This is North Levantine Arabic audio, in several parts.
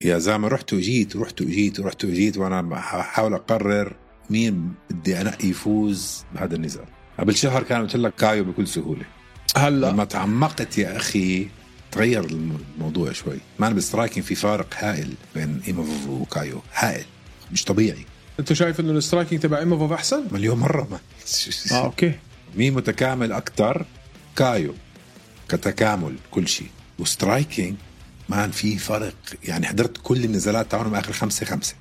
يا زلمة رحت وجيت وأنا بحاول أقرر مين بدي أنقي يفوز بهذا النزال. قبل شهر كان قلت لك كايو بكل سهولة. هلا لما تعمقت يا أخي تغير الموضوع شوي. ما أنا بالسترايكينج في فارق هائل بين إيموفوف وكايو، هائل مش طبيعي. أنت شايف إنه السترايكينج تبع إيموفوف أحسن؟ مليون مرة. ما أوكي. مين متكامل أكتر؟ كايو كتكامل كل شيء، وسترايكينج مان في فرق. يعني حضرت كل النزالات تاعهم آخر 5-5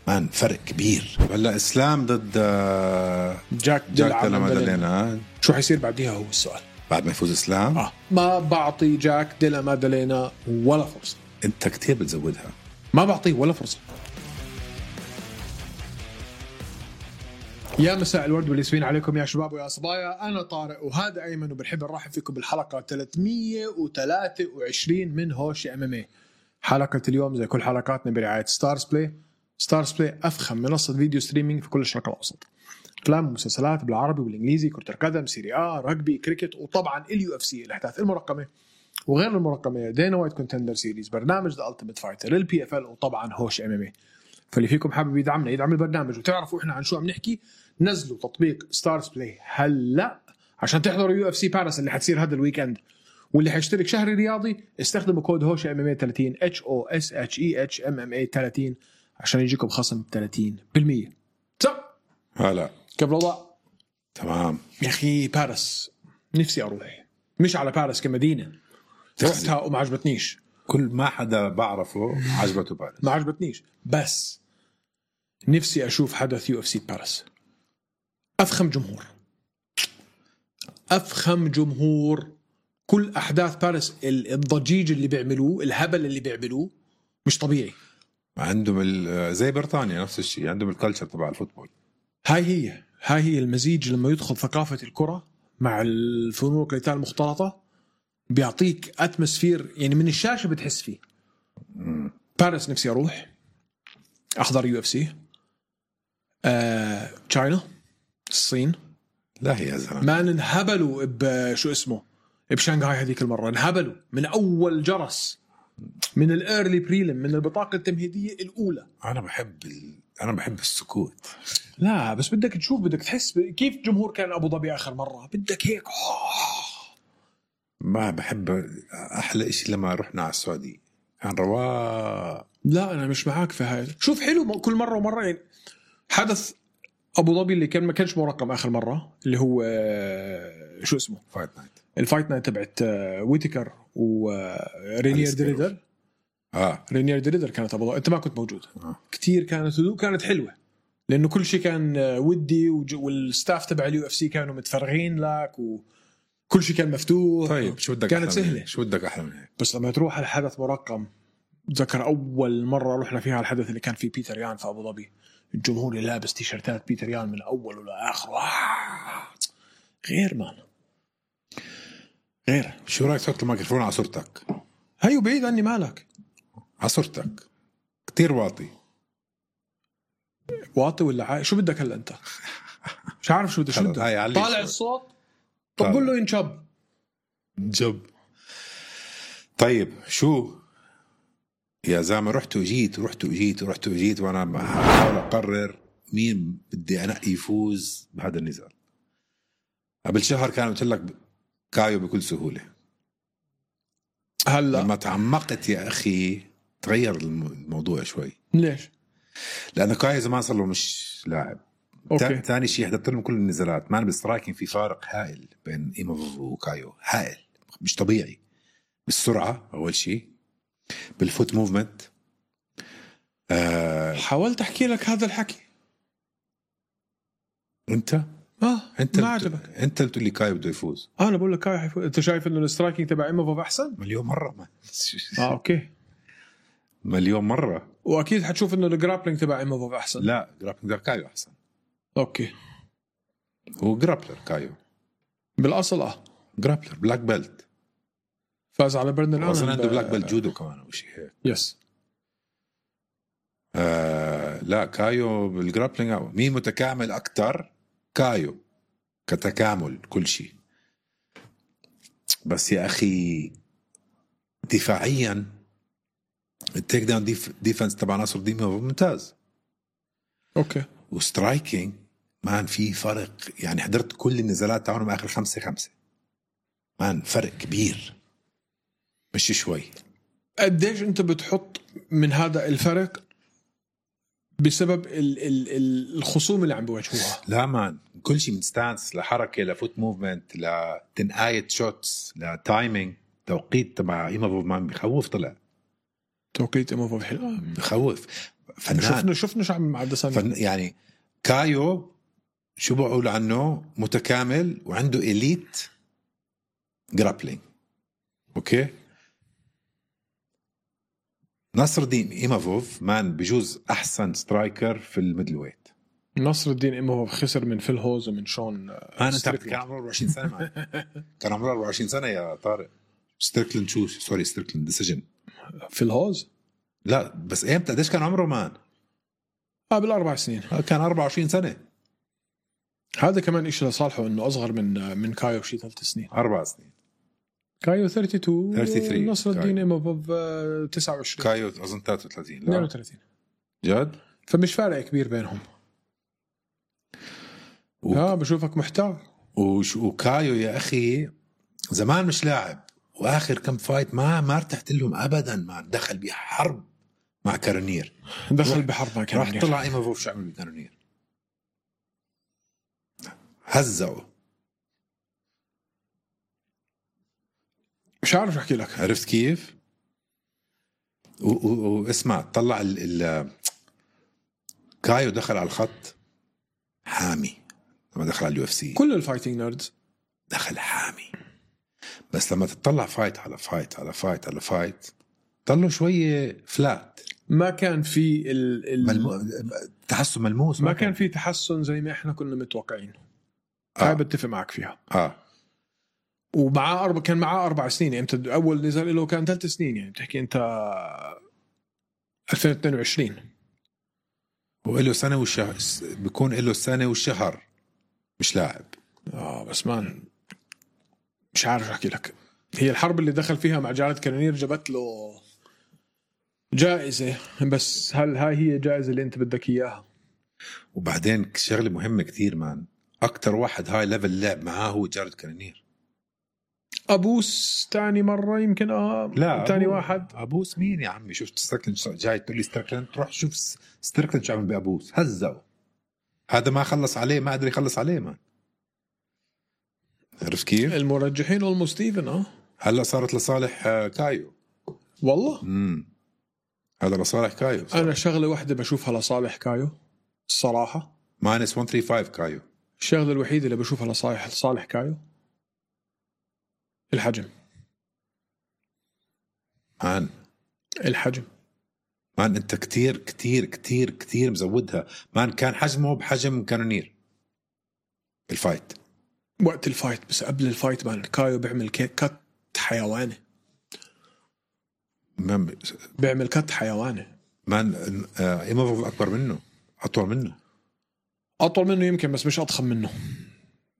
مان، فرق كبير. هلا إسلام ضد جاك ديلا مادالينا، شو حيصير بعديها هو السؤال. بعد ما يفوز إسلام ما بعطي جاك ديلا مادالينا ولا فرصة. أنت كتير بتزودها. ما بعطيه ولا فرصة. يا مساء الورد والياسمين عليكم يا شباب ويا صبايا. أنا طارق وهذا أيمن، وبنحب نرحب فيكم بالحلقة 323 من هوش MMA. حلقة اليوم زي كل حلقاتنا برعاية ستارز بلاي. ستارز بلاي أفخم منصة فيديو ستريمينج في كل الشرق الأوسط. أفلام ومسلسلات بالعربي والإنجليزي، كرة القدم، سيري آ، رجبي، كريكت، وطبعا UFC الأحداث المرقمة وغير المرقمة، دينا وايت كونتندر سيريز، برنامج ذا ألتيميت فايتر، الPFL، وطبعا هوش MMA. فاللي فيكم حابب يدعمنا يدعم البرنامج وتعرفوا إحنا عن شو عم نحكي، نزلوا تطبيق ستارز بلاي هلا عشان تحضروا UFC باريس اللي حتصير هذا الويكند. واللي حيشترك شهري رياضي استخدموا كود هوش MMA 30 HOSHEH MMA 30 عشان يجيكم خصم 30%. هلا كيف الوضع؟ تمام يا أخي باريس نفسي أروح، مش على باريس كمدينة، رحتها وما عجبتنيش. كل ما حدا بعرفه عجبته باريس. ما عجبتنيش، بس نفسي أشوف حدث UFC باريس. أفخم جمهور، كل أحداث باريس، الضجيج اللي بيعملوه، الهبل اللي بيعملوه مش طبيعي. عندهم زي بريطانيا نفس الشيء، عندهم الكالتشر تبع الفوتبول. هاي هي المزيج لما يدخل ثقافة الكرة مع الفنون القتال المختلطة بيعطيك أتموسفير، يعني من الشاشة بتحس فيه. باريس نفسي أروح أحضر UFC. تشاينا، الصين، لا هي زلمة ما انهبلوا بشو اسمه بشانغهاي هذيك المرة، انهبلوا من أول جرس، من الأيرلي بريلم، من البطاقة التمهيدية الأولى. أنا بحب السكوت. لا بس بدك تشوف، بدك تحس كيف جمهور كان أبو ظبي آخر مرة، بدك هيك. ما بحب. أحلى إشي لما رحنا على السعودية كان رواق. لا أنا مش معاك في هاي. شوف حلو كل مرة ومرة. يعني حدث أبو ظبي اللي كان ما كانش مرقم آخر مرة، اللي هو شو اسمه الفايت نايت تبعت ويتكر ورينير دريدر. رينير دريدر كانت أبو ظبي، أنت ما كنت موجود. كتير كانت هدوء، كانت حلوة لأنه كل شيء كان ودي، والستاف تبع UFC كانوا متفرغين لك، وكل شيء كان مفتوح. طيب شو بدك؟ كانت سهلة. شو بدك أحلى من هيك؟ بس لما تروح على حدث مرقم، ذكر أول مرة رحنا فيها الحدث اللي كان فيه بيتر يان في أبو ظبي، الجمهور اللي لابس تيشرتات بيتر يان من أول ولا آخر. غير مان غير. شو رأيك تحط الميكروفون على صورتك؟ هيو بعيد عني، مالك على صورتك كتير واطي ولا شو بدك هلا أنت؟ مش عارف شو بدك. طالع الصوت. طب قول له ينجب. طيب شو يا زلمة رحت وجيت وأنا بحاول أقرر مين بدي أنقي يفوز بهذا النزال. قبل شهر كان قلت لك كايو بكل سهولة. هلا لما تعمقت يا أخي تغير الموضوع شوي. ليش؟ لأنه كايو زمان صار له مش لاعب. ثاني شيء حضرت لهم كل النزالات. ما أنا بالسترايكينج في فارق هائل بين إيموفوف وكايو، هائل مش طبيعي. بالسرعة أول شيء، بالفوت موفمنت. حاولت أحكي لك هذا الحكي. أنت ما عجبك. أنت قلت لي كايو بده يفوز. أنا بقول لك كايو حيفوز. أنت شايف إنه السترايكينج تبع إيموفوف أحسن؟ مليون مرة. ما أوكي، مليون مرة. وأكيد حتشوف إنه الجرابلينج تبع إيموفوف أحسن. لا، جرابلينج تبع كايو أحسن. أوكي، هو جرابلر كايو بالأصل. جرابلر بلاك بيلت، فاز على برندن آلن. أصلا عنده بلاك بيلت جودو كمان أو شيء هيك. يس. لا كايو بالجرابلينج. مين متكامل أكتر؟ كايو كتكامل كل شيء. بس يا أخي دفاعيا التيك داون ديفنس تبع نصر الدين ممتاز. اوكي. وسترايكينج مان في فرق، يعني حضرت كل النزالات تاعهم اخر 5-5 مان، فرق كبير مش شوي. قديش انت بتحط من هذا الفرق بسبب الخصوم اللي عم بيواجهوها؟ لا مان، كل شيء من ستانس لحركه لفوت موفمنت لتنقاية شوتس لتايمينج. توقيت تبع ايمافوف مان بخوف، طلع توقيت ايمافوف حلو بخوف. فنان شفنا شو عم مع دسانيا. يعني كايو شو بقول عنه، متكامل وعنده إليت جرابلينج. اوكي. نصر الدين ايمافوف مان بجوز احسن سترايكر في الميدل ويت. نصر الدين ايمافوف خسر من فيل هوز ومن شون كان عمره 24 سنه مان. كان عمره 24 سنه يا طارق. ستريكلند شو سوري ستريكلند ديسيجن. فيل هوز لا بس امتى قديش كان عمره مان؟ قبل 4 سنين كان 24 سنه. هذا كمان إشي لصالحه انه اصغر من كايو بشي 3 سنين 4 سنين. كايو 33 نصر الدين ايمافوف 29. كايو اظن 33 لا 32 جد. فمش فارق كبير بينهم. بشوفك محتار. وكايو يا اخي زمان مش لاعب، واخر كم فايت ما ارتحت لهم ابدا. ما دخل بحرب مع كارونير، دخل بحرب مع كارونير، راح طلع ايمافوف شو عمل بكارونير، هزقوا. مش عارف احكي لك. عرفت كيف؟ واسمع طلع كايو دخل على الخط حامي. لما دخل على اليو اف سي كل الفايتنج نيردز دخل حامي، بس لما تطلع فايت على فايت على فايت على فايت طلعوا شوية فلات. ما كان في تحسن ملموس، ما كان في تحسن زي ما احنا كنا متوقعين. هاي بتفق معك فيها. ومعاه كان معاه 4 سنين. يعني انت اول نزال له كان 3 سنين، يعني بتحكي انت 2022 وله سنة والشهر، بيكون له سنة والشهر مش لاعب. بس مان مش عارف احكي لك. هي الحرب اللي دخل فيها مع جارد كارونير جابت له جائزة، بس هل هاي هي الجائزة اللي انت بدك اياها؟ وبعدين شغلة مهمة كتير مان، اكتر واحد هاي ليفل لعب معاه هو جارد كارونير. ابوس تاني مرة يمكن. لا تاني واحد ابوس مين يا عمي؟ شفت ستريكلند جاي تقول لي ستريكلند؟ تروح شوف ستريكلند شو عمل بابوس، هزقه. هذا ما خلص عليه، ما قدر يخلص عليه مان. عرفت كيف؟ المرجحين اولمو ستيفن هلا صارت لصالح كايو والله. هذا لصالح كايو صراحة. انا شغله واحده بشوفها لصالح كايو الصراحه، -135 كايو. الشغله الوحيده اللي بشوفها لصالح كايو الحجم. الحجم مان انت كتير كتير كتير كتير مزودها مان. كان حجمه بحجم كارونير الفايت، وقت الفايت، بس قبل الفايت مان كايو بيعمل كات حيواني. بيعمل كات حيواني مان. ايمافوف اكبر منه، اطول منه يمكن، بس مش اضخم منه.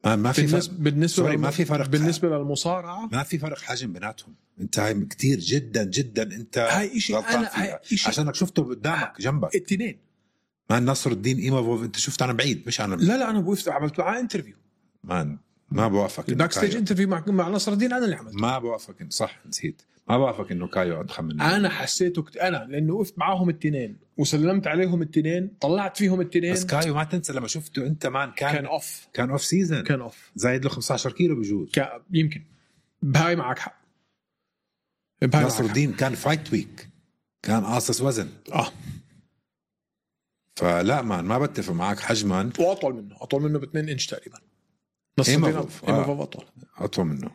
ما في بالنسبه ما في فرق. بالنسبه للمصارعه ما في فرق حجم بيناتهم. انت هاي كتير جدا جدا انت هاي شيء. انا عشانك شفته قدامك جنبك التنين. مان نصر الدين ايمافوف انت شفت انا بعيد، مش انا. لا انا وقفت عملت معاه انترفيو مان. ما بوافق. الباك ستيج انترفيو مع نصر الدين انا اللي عملت. ما بوافق. صح نسيت. ما بوافق انه كايو اضخم منه. انا حسيته انا لانه وقفت معاهم التنين وسلمت عليهم التنين، طلعت فيهم التنين. بس كايو ما تنسى لما شفته انت مان كان اوف سيزن، كان اوف زايد له 15 كيلو بجوز. يمكن بهاي معك حق. نصر الدين كان فايت ويك، كان قاصص وزن. فلا مان ما بتفق معك حجما. واطول منه ب2 انش تقريبا. نصر الدين ايمافوف اطول منه.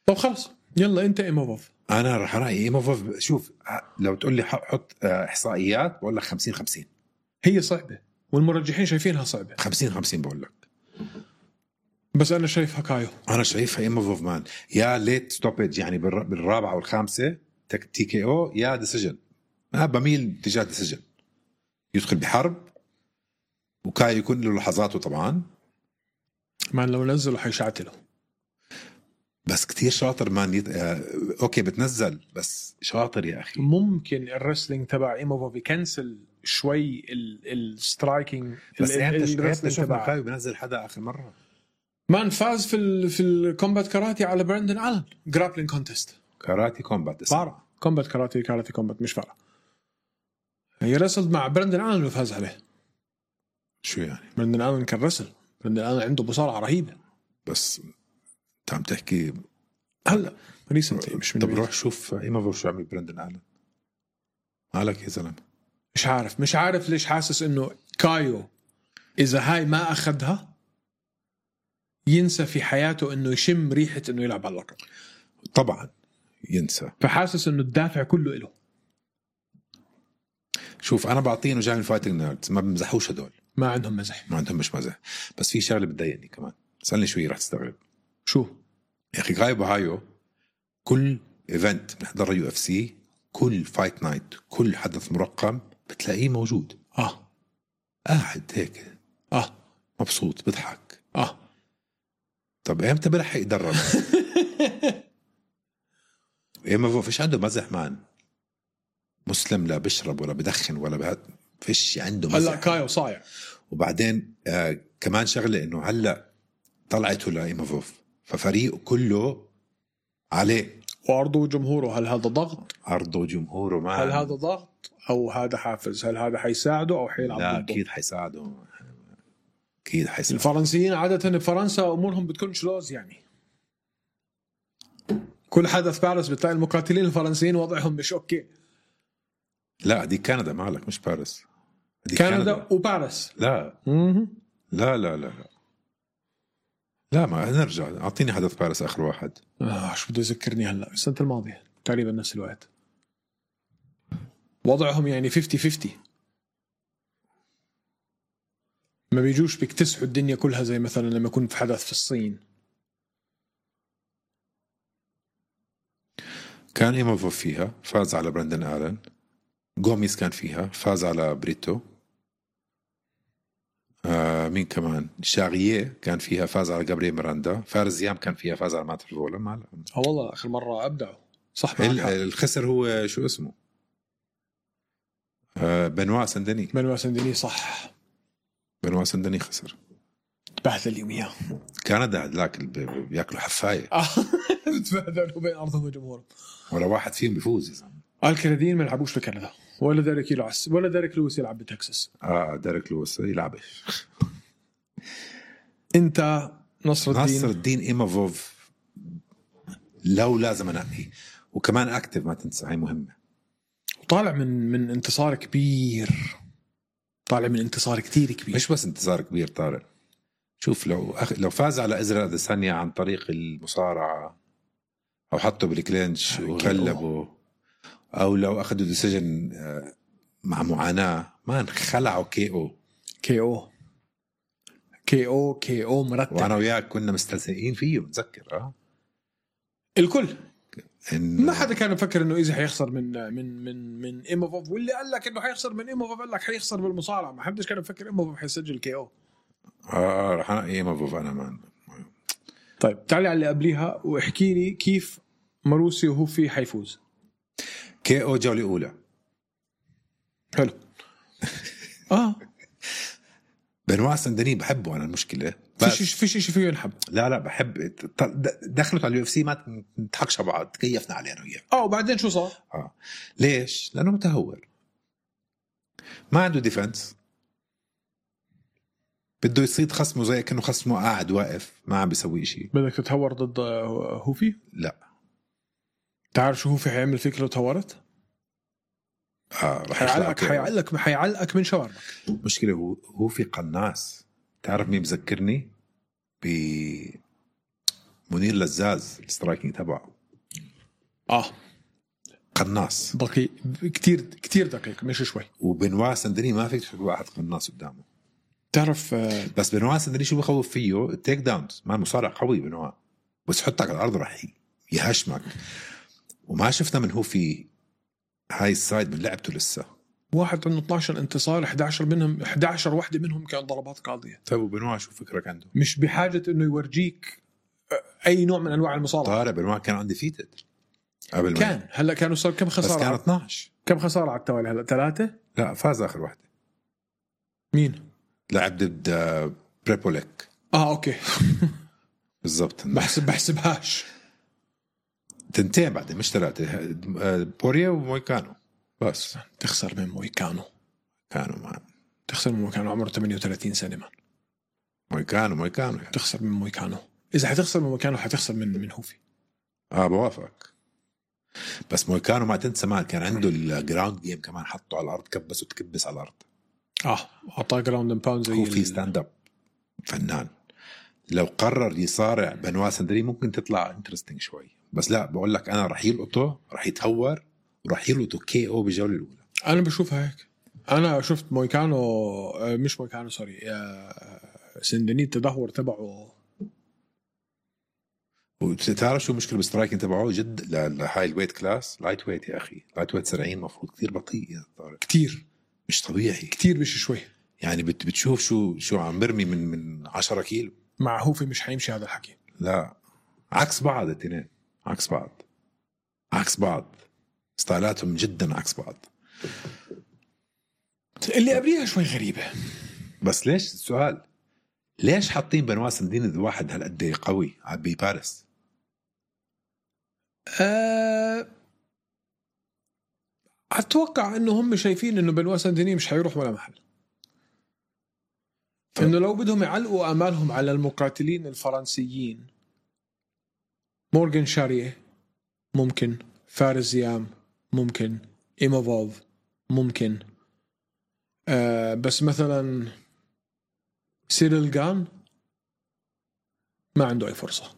طب خلص يلا انت ايمافوف. انا رح رايي ايمافوف. شوف لو تقول لي حط احصائيات بقول لك 50-50. هي صعبه والمرجحين شايفينها صعبه. 50-50 بقول لك. بس انا شايفها كايو. انا شايفها ايمافوف مان. يا ليت ستوبج يعني بالرابعه والخامسه تي كي او، يا ديسيجن. انا بميل تجاه ديسيجن، يدخل بحرب وكايو يكون له لحظاته طبعا. مان لو نزلوا حيشعتله. بس كتير شاطر مان اوكي بتنزل بس شاطر يا اخي. ممكن الرسلينج تبع ايموفوف يكنسل شوي السترايكينج. بس انت شفنا كايو بنزل حدا اخر مره مان فاز في الكومبات كاراتي على براندن آلن جرابلينج كونتست. كاراتي كومبات فارق كومبات كاراتي كومبات مش فارق. هي رسل مع براندن آلن وفاز عليه. شو يعني براندن آلن كان رسل. براندن آلن عنده مصارعة رهيبة. بس انت عم تحكي هلا ريسنتلي مش من طب روح شوف ايموفوف شو عمل براندن آلن. مالك يا زلمه؟ مش عارف ليش حاسس انه كايو اذا هاي ما اخذها ينسى في حياته انه يشم ريحة انه يلعب على اللقب. طبعا ينسى. فحاسس انه الدافع كله له. شوف انا بعطيه انه جاي من فايتنج نيردز ما بمزحوش هدول. ما عندهم مزح. ما عندهم مش مزح. بس في شغله بتضايقني كمان. سألني شوي رح تستغرب. شو يا اخي كايو بهايو كل ايفنت بنحضر يو اف سي كل فايت نايت كل حدث مرقم بتلاقيه موجود. قاعد هيك مبسوط بضحك. طب امتى بلحق يدرب؟ ما فيش عنده مزح مان. مسلم لا بشرب ولا بدخن ولا فيش عنده مزح. هلا كايو صايع. وبعدين كمان شغله انه هلا طلعته لايموفوف ففريقه كله عليه وعرضه وجمهوره. هل هذا ضغط؟ عرضه وجمهوره ما هل هذا ضغط او هذا حافز؟ هل هذا حيساعده او حيلعب لا ضده؟ اكيد حيساعده. اكيد حيساعده. الفرنسيين عاده بفرنسا امورهم بتكون شلوز يعني. كل حدث باريس بتلاقي المقاتلين الفرنسيين وضعهم مش اوكي. لا دي كندا مالك مش باريس. كندا وباريس. لا لا لا لا لا ما نرجع. اعطيني حدث باريس اخر واحد. شو بده يذكرني هلا السنه الماضيه تقريبا نفس الوقت. وضعهم يعني 50-50. ما بيجوش بيكتسحوا الدنيا كلها زي مثلا لما يكون في حدث في الصين. كان ايموفوف فيها فاز على براندن آلن. غوميز كان فيها فاز على بريتو. مين كمان؟ شاغية كان فيها فاز على جابرييل ميراندا. فارس يام كان فيها فاز على مات فيفولا. ما والله آخر مرة أبدعوا صح. الخسر هو شو اسمه بنوا سندني صح. بنوا سندني خسر. بهدل اليومية. كندا هدلاك بياكلوا حفاية. تبهدلوا بين أرضهم وجمهورهم. ولا واحد فيهم بيفوز يا زلمة. الكنديين ما يلعبوش في كندا. ولا ديريك لويس يلعب بتكساس. ديريك لويس يلعبش. انت نصر الدين ايموفوف لو لازم انقي. وكمان اكتف ما تنسى هاي مهمة. وطالع من انتصار كبير. طالع من انتصار كتير كبير. مش بس انتصار كبير طارق. شوف لو فاز على إزرائيل أديسانيا عن طريق المصارعة أو حطه بالكلينش وغلبه أو لو أخذوا ديسيجن مع معاناة ما انخلعوا كي او مرتب. وأنا وياك كنا مستلزقين فيه متذكر الكل ما حدا كان يفكر إنه إذا حيخسر من إيموفوف. واللي قال لك إنه حيخسر من إيموفوف قال لك حيخسر بالمصارعة. ما حدش كان يفكر إيموفوف حيسجل كي او. رح أنقي إيموفوف أنا مان. طيب تعالي على اللي قبليها واحكي لي كيف ماروسي وهو في حيفوز. كي او جولة أولى. حلو. بنوا سندني بحبه أنا. المشكلة فيش شيء فيه ينحب. لا بحب دخلت على اليو اف سي ما نضحكش على بعض. تكيفنا عليه أنا وياه. وبعدين شو صار؟ ليش؟ لأنه متهور ما عنده ديفنس. بده يصيد خصمه زي كأنه خصمه قاعد واقف ما عم بيسوي شيء. بدك تتهور ضد هوفي؟ لا. تعرف شو هوفي حيعمل فيك لو تهورت؟ حيعلقك من شواربك. مشكلة هوفي قناص. تعرف مين بذكرني؟ بمنير لزاز. السترايكينج تبعه قناص دقيق كتير دقيق مش شوي. وبنوا سندني ما فيك تحط واحد قناص قدامه. تعرف بس بنوا سندني شو بخوف فيه؟ التيك داونز. ما مصارع قوي بنوا بس حطك على الأرض رح يهشمك. وما شفنا من هو في هاي السايد من لعبته لسه. واحد عنده 12 انتصار 11 واحدة منهم كان ضربات قاضية. طيب وبنوا شو فكرك عنده؟ مش بحاجة انه يورجيك اي نوع من انواع المصارعه. طارق بنوان كان عندي فيتد قبل كان هلا كانوا صار كم خساره؟ بس كان 12. كم خساره على التوالي هلا؟ 3. لا فاز اخر واحده. مين لعب ضد بريبوليك. اوكي. بالضبط. بحسبهاش. تنتين بعد مش 3. بوريا ومويكانو بس. تخسر من مويكانو. كانوا مان. تخسر من مويكانو عمره 38 سنه مان. مويكانو يعني. تخسر من مويكانو. اذا حتخسر من مويكانو حتخسر من هوفي. بوافقك. بس مويكانو ما تنسى مان كان عنده الجراوند جيم كمان، حطه على الارض كبس وتكبس على الارض. اعطاه جراوند اند باوند زي هو في ستاند اب فنان. لو قرر يصارع بنوا سندري ممكن تطلع انترستينج شوي، بس لا بقول لك انا رح يلقطه، رح يتهور وراح يلقطه كي او بالجوله الاولى. انا بشوفها هيك. انا شفت مويكانو مش مويكانو سوري سندني التدهور تبعه. وتعرف شو مشكلة بالسترايكين تبعه جد لهاي الويت كلاس؟ لايت ويت يا أخي، لايت ويت 70 مفروض كتير بطيء يا طارق. كتير مش طبيعي كتير مش شوي يعني. بتشوف شو عم برمي من 10 كيلو مع هوفي. مش حيمشي هذا الحكي. لا عكس بعض الاثنين، عكس بعض ستايلاتهم جدا عكس بعض. اللي قبليها شوي غريبة. بس ليش السؤال ليش حاطين بنوا سندين ذي واحد هالقد قوي بباريس؟ أتوقع إنه هم شايفين إنه بنوا سندني مش حيروح ولا محل. إنه لو بدهم يعلقوا آمالهم على المقاتلين الفرنسيين، مورغان شاريه ممكن، فارس زيام ممكن، إيموفوف ممكن، بس مثلا سيريل جان ما عنده أي فرصة.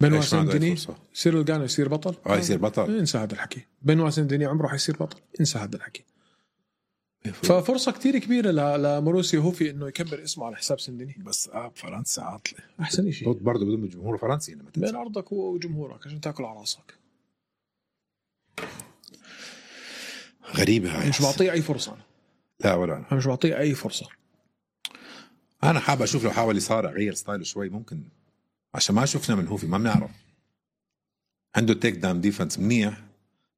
بنوا سندني سيريل جان يصير بطل. يصير بطل. انسى هذا الحكي. بنوا سندني عمره حيصير بطل. انسى هذا الحكي. ففرصة كتير كبيرة لموروسيو هوفي إنه يكبر اسمه على حساب سندني. بس فرنسا عاطلة أحسن شيء. برضه بدهم الجمهور فرنسي لما بين أرضك وجمهورك عشان تأكل على راسك. غريبة هاي. مش بعطيه أي فرصة أنا. لا ولا أنا مش بعطيه أي فرصة. أنا حابب أشوف لو حاول يصارع غير ستايله شوي ممكن، عشان ما شفنا من هوفي ما بنعرف. عنده تيك داون ديفنس منيح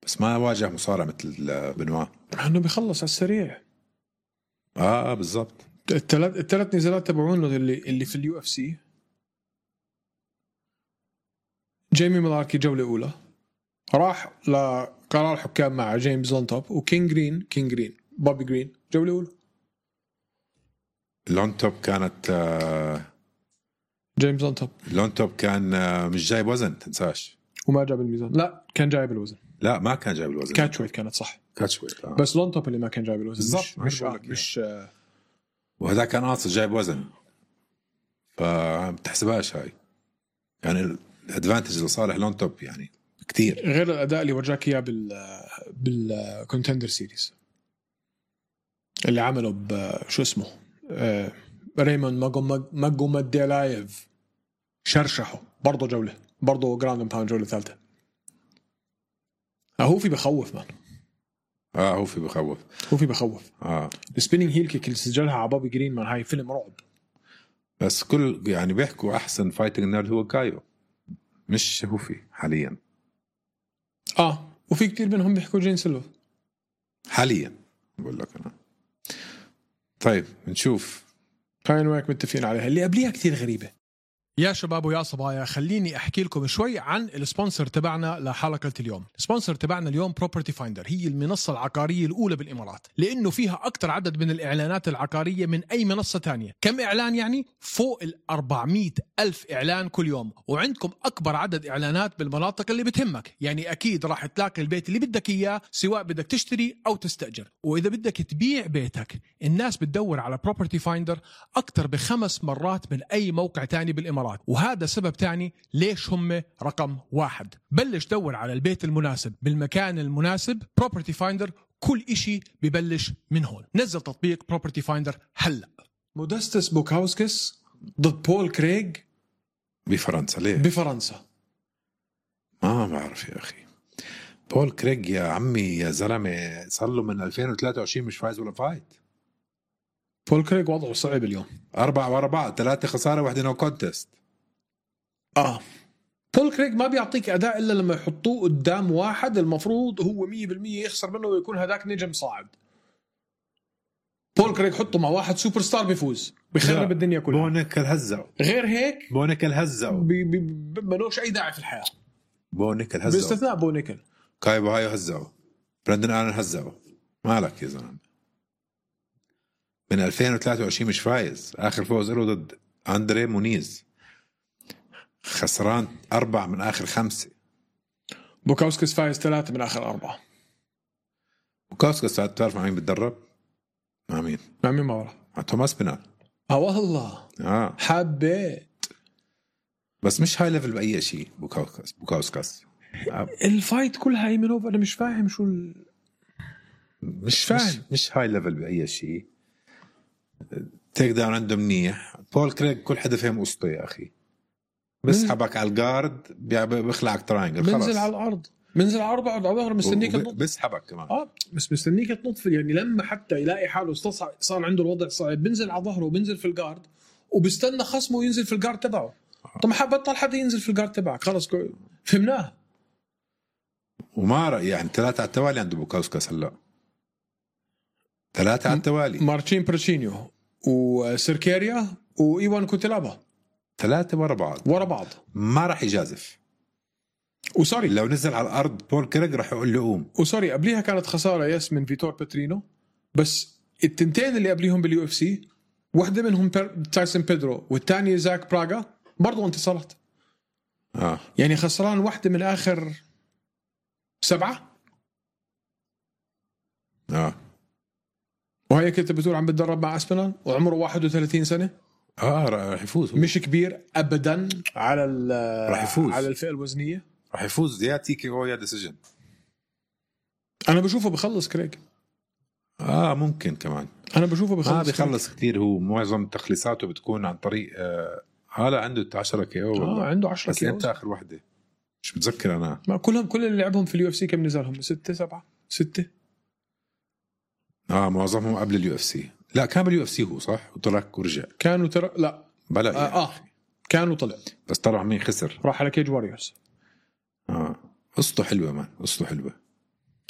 بس ما واجه مصارع مثل بنوا. إنه بيخلص على السريع. بالضبط. الثلاث نزالات تبعونه اللي في اليو اف سي. جيمي ملاركي جولة أولى راح لقرار حكام مع جيمس لونتوب، وكينج جرين بوبي جرين جولة أولى. لونتوب كانت جيمس لونتوب كان مش جايب وزن تنساش، وما جاب الميزان. لا كان جايب الوزن. لا ما كان جايب الوزن. كاتشويت كانت صح. كاتشويت بس لونتوب اللي ما كان جايب الوزن. بالضبط. مش وهذا كان قاصد جايب وزن، فبتحسبهاش هاي يعني الادفانتج لصالح لونتوب يعني كتير غير الاداء اللي ورجاك اياه بالكونتندر سيريز اللي عمله بشو اسمه ريمون ماجومديلايف. شرشحه برضه جوله، برضه جراوند اند باوند جوله ثالثه. هوفي بخوف مان. هوفي بخوف. السبيننج هيل كيك اللي سجلها على بوبي جرين مان هاي فيلم رعب. بس كل يعني بيحكوا احسن فايتنج نيرد هو كايو مش هوفي حاليا. وفي كتير منهم بيحكوا جين سيلفا حاليا بقول لك انا. طيب نشوف. خلينا وياك متفقين عليها. اللي قبليها كتير غريبة. يا شباب ويا صبايا، خليني أحكي لكم شوي عن السبونسر تبعنا لحلقة اليوم. السبونسر تبعنا اليوم بروبرتي فايندر، هي المنصة العقارية الأولى بالإمارات، لأنه فيها أكتر عدد من الإعلانات العقارية من أي منصة تانية. كم إعلان يعني؟ فوق 400,000 إعلان كل يوم، وعندكم أكبر عدد إعلانات بالمناطق اللي بتهمك. يعني أكيد راح تلاقي البيت اللي بدك إياه، سواء بدك تشتري أو تستأجر. وإذا بدك تبيع بيتك، الناس بتدور على بروبرتي فايندر أكتر ب5 مرات من أي موقع تاني بالإمارات، وهذا سبب تاني ليش هم رقم 1. بلش دور على البيت المناسب بالمكان المناسب. بروبرتي فايندر كل إشي ببلش من هون. نزل تطبيق بروبرتي فايندر هلأ. مودستس بوكاوسكس ضد بول كريغ بفرنسا. ليه بفرنسا؟ ما بعرف يا أخي. بول كريغ يا عمي يا زلمة صار له من 2023 مش فايز ولا فايت. بول كريغ وضعه صعب اليوم. 4 ورا بعض، 3 خسارة 1 نو كونتست. بول كريغ ما بيعطيك اداء الا لما يحطوه قدام واحد المفروض هو 100% يخسر منه ويكون هذاك نجم صاعد. بول كريغ حطه مع واحد سوبر ستار بيفوز بيخرب الدنيا كلها. بونيكل هزعوا، غير هيك بونيكل هزعوا، ملوش اي داعي في الحياه. بونيكل هزعوا باستثناء بونيكل. كاي بوهايو هزعوا، براندن آلن هزعوا. مالك يا زلمه؟ من 2023 مش فايز. اخر فوز له ضد اندري مونيز، خسران 4 من آخر 5. بوكاوسكس فايز 3 من آخر 4. بوكاوسكس تعرف مع مين بتدرب؟ مع مين؟ مع مين؟ ما بعرف. مع توماس بينال. والله حبيت، بس مش هاي ليفل بأي شيء. بوكاوسكس الفايت كلها ايمنوف. انا مش فاهم شو مش فاهم. مش هاي ليفل بأي شيء. تيك داون عنده منيح. بول كريغ كل حدا فهم قصته يا أخي. بسحبك على الجارد بيخلعك تراينجل، خلاص بنزل على الارض، بنزل على الارض على ظهره مستنيك تنط. بسحبك كمان. بس مستنيك تنط يعني لما حتى يلاقي حاله صار عنده الوضع صعب بنزل على ظهره وبنزل في الجارد وبستنى خصمه ينزل في الجارد تبعه. طب ما بطل حدا ينزل في الجارد تبعك، خلص فهمناه. وما يعني 3 على التوالي عنده بوكاوسكس هلا. 3 على التوالي. مارتشين بريتشينيو وسيركيريا وإيوان كوتيلابا 3 ورا بعض ما راح يجازف. وسوري لو نزل على الارض بول كريغ راح يقول له قوم. وسوري قبليها كانت خساره من فيتور باترينو، بس التنتين اللي قبليهم باليو اف سي واحده منهم تايسون بيدرو والثانيه زاك براغا برضو انتصارات. يعني خسران واحده من اخر 7. وهي كنت بتقول عم بتدرب مع اسبينال وعمره 31 سنه. راح يفوز. مش كبير ابدا على راح يفوز على الفئه الوزنيه. راح يفوز يا تي كي او يا ديسيجن. انا بشوفه بخلص كريغ. ممكن كمان. انا بشوفه بخلص. بيخلص كتير. هو معظم تخليصاته بتكون عن طريق هلا عنده 10 كي او. عنده 10 كي او. بس اخر وحده مش متذكر انا. ما كل اللي لعبهم في اليو اف سي كم نزلهم؟ 6 7 6. معظمهم قبل اليو اف سي. لا كان باليو اف سي هو صح وطلع ورجع. كانوا لا بلا كانوا طلع بس طلع مين خسر. راح على كيج واريورز. قصته حلوه مان، قصته حلوه.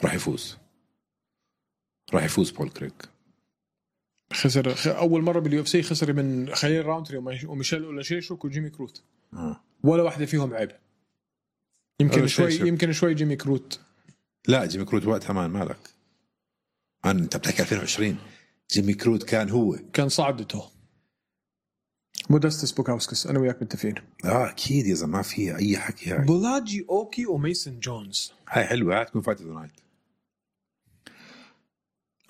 راح يفوز بول كريغ. خسر اول مره باليو اف سي، خسر من خليل راونتري وميشيل اولاشيشوك وجيمي كروت. ولا واحده فيهم عيب. يمكن شوي جيمي كروت. لا جيمي كروت وقتها مالك انت بتحكي 2020. جيمي كروت كان صعدته. مودستس بوكاوسكس انا وياك متفقين. اكيد يا زلمه ما في اي حكي. هاي بولاجي اوكي وميسن جونز هاي حلوه. هاي تكون فايت نايت.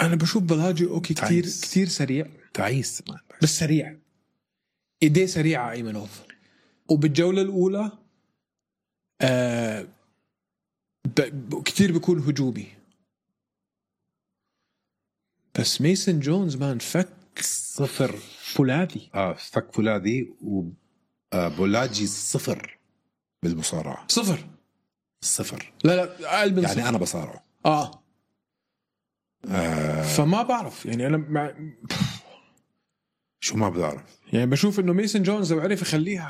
انا بشوف بولاجي اوكي كتير سريع. تعيس بس سريع، ايديه سريعه ايمنوف. وبالجوله الاولى كتير بيكون هجومي. بس ميسن جونز فك صفر فولاذي. فك فولاذي. وبولاجي صفر بالمصارعة. صفر. لا أقل من يعني صفر. أنا بصارعه. فما بعرف يعني أنا شو ما بعرف. يعني بشوف إنه ميسن جونز لو عرف يخليها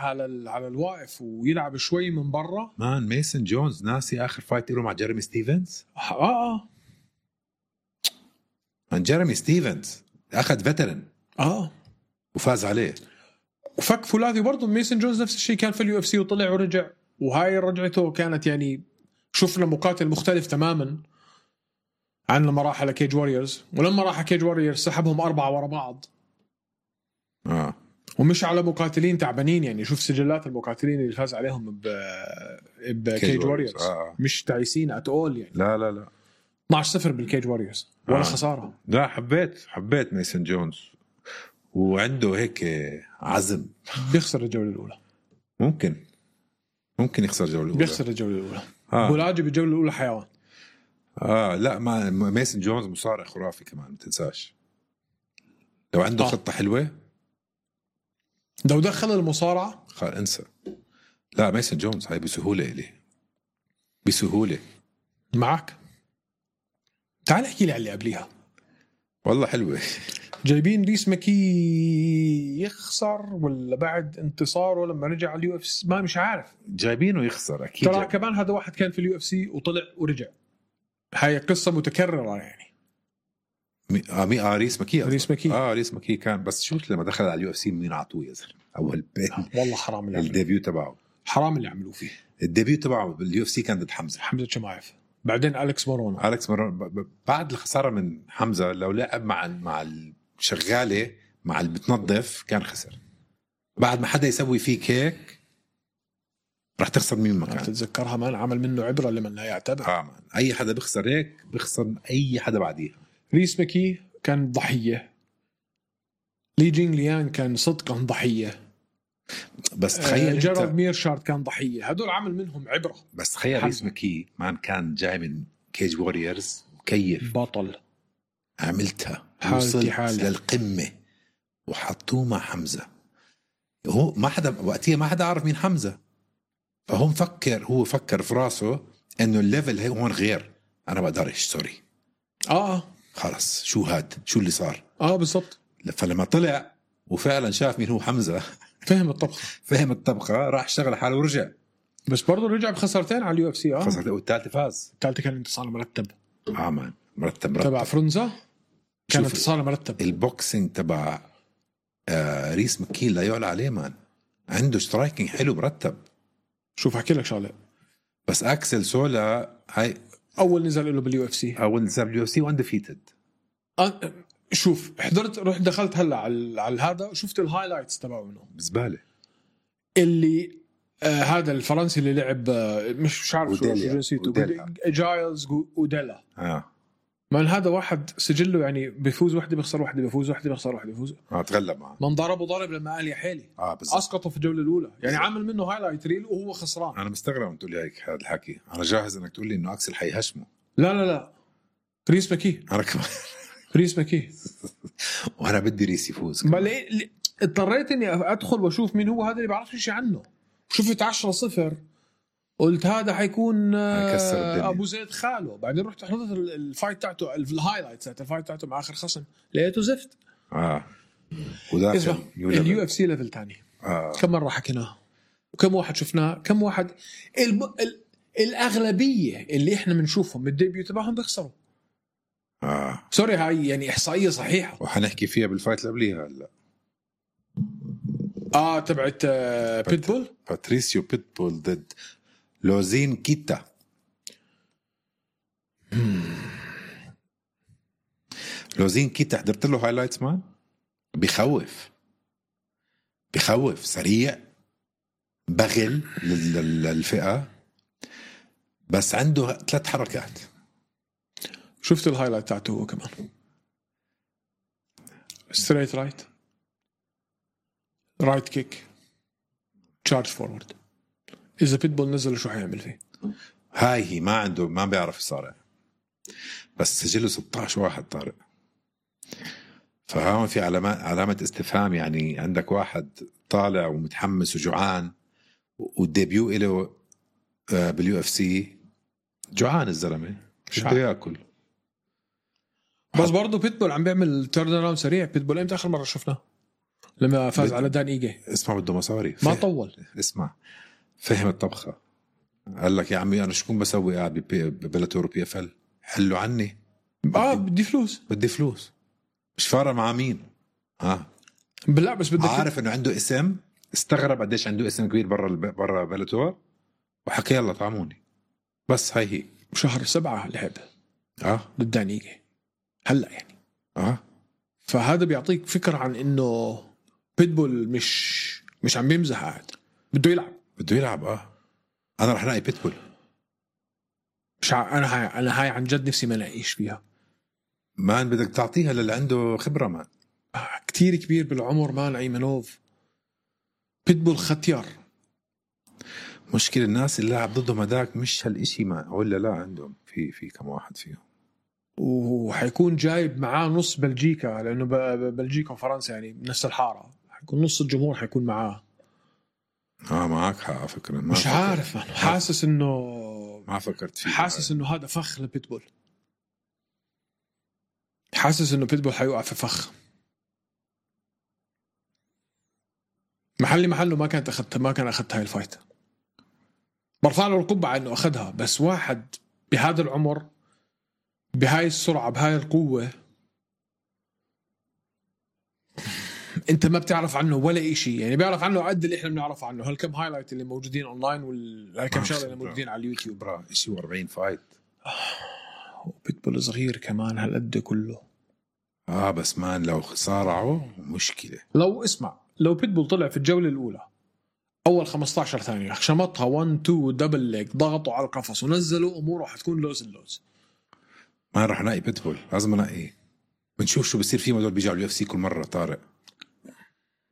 على الواقف ويلعب شوي من برا. ميسن جونز ناسي آخر فايت له مع جيريمي ستيفنز. من جيريمي ستيفنز أخذ فيترن وفاز عليه وفك فولاذي. برضو ميسن جونز نفس الشيء، كان في اليو اف سي وطلع ورجع، وهاي رجعته كانت يعني شفنا مقاتل مختلف تماما عن لما راح على كيج واريورز. ولما راح على كيج واريورز سحبهم 4 ورا بعض. ومش على مقاتلين تعبانين. يعني شوف سجلات المقاتلين اللي فاز عليهم بكيج واريورز. مش تعيسين اتقول يعني. لا 12-0 بالكيج واريورز ولا خسارة. لا حبيت ميسن جونز. وعنده هيك عزم. بيخسر الجولة الأولى. ممكن يخسر الجولة الأولى. بيخسر الجولة الأولى. بولاجي بالجولة الأولى حيوان. لا ما ميسن جونز مصارع خرافي كمان، ما تنساش. لو عنده خطة حلوة لو دخل المصارعة انسى. لا ميسن جونز هاي بسهولة. معك. تعال احكي لي على اللي قبليها. والله حلوة. جايبين ريس ماكي يخسر ولا بعد انتصاره لما رجع على UFC؟ ما مش عارف. جايبينه يخسر اكيد. ترى كمان هذا واحد كان في UFC وطلع ورجع. هاي قصة متكررة يعني. ريس ماكي. ريس ماكي. ريس ماكي كان، بس شو لما دخل على UFC مين عطوه يا زلمه اول والله حرام اللي الديبيو تبعه. حرام اللي عملوه فيه. الديبيو تبعه بالUFC كان ضد حمزة شمايف، بعدين أليكس مورونو. بعد الخسارة من حمزة لو لعب مع الشغالة مع اللي بتنظف كان خسر. بعد ما حدا يسوي فيك هيك رح تخسر مين ما كان. تتذكرها مان، عمل منه عبرة لمن لا يعتبر. مان. أي حدا بيخسر هيك بيخسر أي حدا بعديها. ريس ماكي كان ضحية، لي جينغ ليان كان صدقا ضحية، بس تخيل جيرارد ميرشارد كان ضحية. هدول عمل منهم عبرة. بس تخيل ريس ماكي مان كان جاي من كيج ووريرز وكيف بطل، عملتها وصلت للقمة وحطوه مع حمزة. هو ما حدا وقتها ما حدا عارف مين حمزة، فهم هو فكر في راسه انه الليفل هون غير، انا بقدرش سوري خلص شو اللي صار. بالضبط. فلما طلع وفعلا شاف مين هو حمزة فهم الطبخة راح اشتغل حاله ورجع. بس برضه رجع بخسارتين على UFC. خسرتين والثالثة فاز. الثالثة كان انتصار مرتب. مان مرتب تبع فرنزا كان انتصار مرتب. البوكسينج تبع ريس ماكي لا يعلى عليه مان، عنده سترايكينج حلو مرتب. شوف احكي لك شغله، بس اكسل سولا هاي اول نزل له بالUFC واندفيتد. شوف رحت دخلت هلا على هذا وشفت الهايلايتس تبعه منه بزباله. اللي هذا الفرنسي اللي لعب مش عارف شو جنسيته، جايلز أوديلا. من هذا واحد سجله يعني بيفوز وحده بيخسر وحده، بيفوز وحده بيخسر وحده، بيفوز تغلب معه. من ضرب لما قال يا حيلي اسقطه في الجوله الاولى يعني. عامل منه هايلايت ريل وهو خسران. انا مستغرب تقول لي هيك هذا الحكي. انا جاهز انك تقول لي انه اكسل حيهشمه. لا ريس ماكي. انا كمان ريس ماكي وانا بدي ريس يفوز. ما اضطريت اني ادخل واشوف مين هو هذا اللي بعرفش شيء عنه. شفت 10-0 قلت هذا حيكون ابو زيد خاله. بعدين رحت حضرت الفايت تاعته، الهايلايتس تاعت الفايت تاعته مع اخر خصم، لقيته زفت. وداخل UFC ليفل تاني. كم مره حكيناه وكم واحد شفناه، كم واحد الاغلبيه اللي احنا بنشوفهم بالديبيو تبعهم بيخسروا. سوري هاي يعني احصائيه صحيحه وحنحكي فيها بالفايت اللي قبليها هلا. تبعت بيتبول، باتريسيو بيتبول ضد لوزين كيتا. لوزين كيتا حضرت له هايلايتس مان، بخوف سريع، بغل للفئة، بس عنده 3 حركات. شفت الهايلايت تاعته هو كمان ستريت رايت كيك تشارج فورورد. إذا بيتبول نزل شو حيعمل فيه؟ هاي ما بيعرف يصارع، بس سجله 16 واحد طارق. فهون في علامة استفهام يعني. عندك واحد طالع ومتحمس وجوعان، والديبيو إله بالUFC جوعان الزلمة مش بده ياكل. بس برضو بيتبول عم بيعمل تيرن اراوند سريع. بيتبول امتى اخر مرة شفناه؟ لما فاز على دان إيجي. اسمع بده مصاري، ما طول. اسمع فهم الطبخة. قال لك يا عمي أنا شكون بسوي قاعد ببلاتور PFL؟ حلوا عني. بدي فلوس مش فارق مع مين. بالله بس بدك عارف انه عنده اسم. استغرب قديش عنده اسم كبير برا بلاتور، وحكى يلا طعموني. بس هي شهر 7 لعب ضد دان إيجي هلا يعني. فهذا بيعطيك فكرة عن انه بيتبول مش عم بيمزح قاعد، بده يلعب. انا رح نلاقي بيتبول. مش انا هاي عن جد نفسي ما لاقيش فيها. مان بدك تعطيها للي عنده خبرة مان. كتير كبير بالعمر مان أيمنوف. بيتبول ختيار. مشكلة الناس اللي لعب ضدهم هداك مش هالإشي ما ولا لا عندهم في كم واحد فيهم. وحيكون جايب معاه نص بلجيكا، لأنه بلجيكا وفرنسا يعني نفس الحارة. حيكون نص الجمهور حيكون معاه. معك حق فكرة. مش عارف مان. حاسس إنه ما فكرت فيه. حاسس إنه هذا فخ لبيتبول. حاسس انه بيتبول حيوقع في فخ. محله ما كان اخذت هاي الفايت. برفع له القبعة انه اخذها، بس واحد بهذا العمر بهاي السرعة بهاي القوة انت ما بتعرف عنه ولا إشي. يعني بيعرف عنه قد اللي احنا بنعرف عنه، هالكم هايلايت اللي موجودين اونلاين وهالكم شغله اللي موجودين على اليوتيوب. برا شيء 40 فايت. وبيتبول صغير كمان هالقد كله. بس مان لو صارعوا مشكلة. لو بيتبول طلع في الجولة الأولى أول 15 ثانية شمطها 1-2 دبل ليج، ضغطوا على القفص ونزلوا، أموره حتكون لوز. ما راح نلاقي بيتبول، لازم نلاقي. بنشوف شو بصير فيهم هدول بيجوا على UFC كل مرة. طارق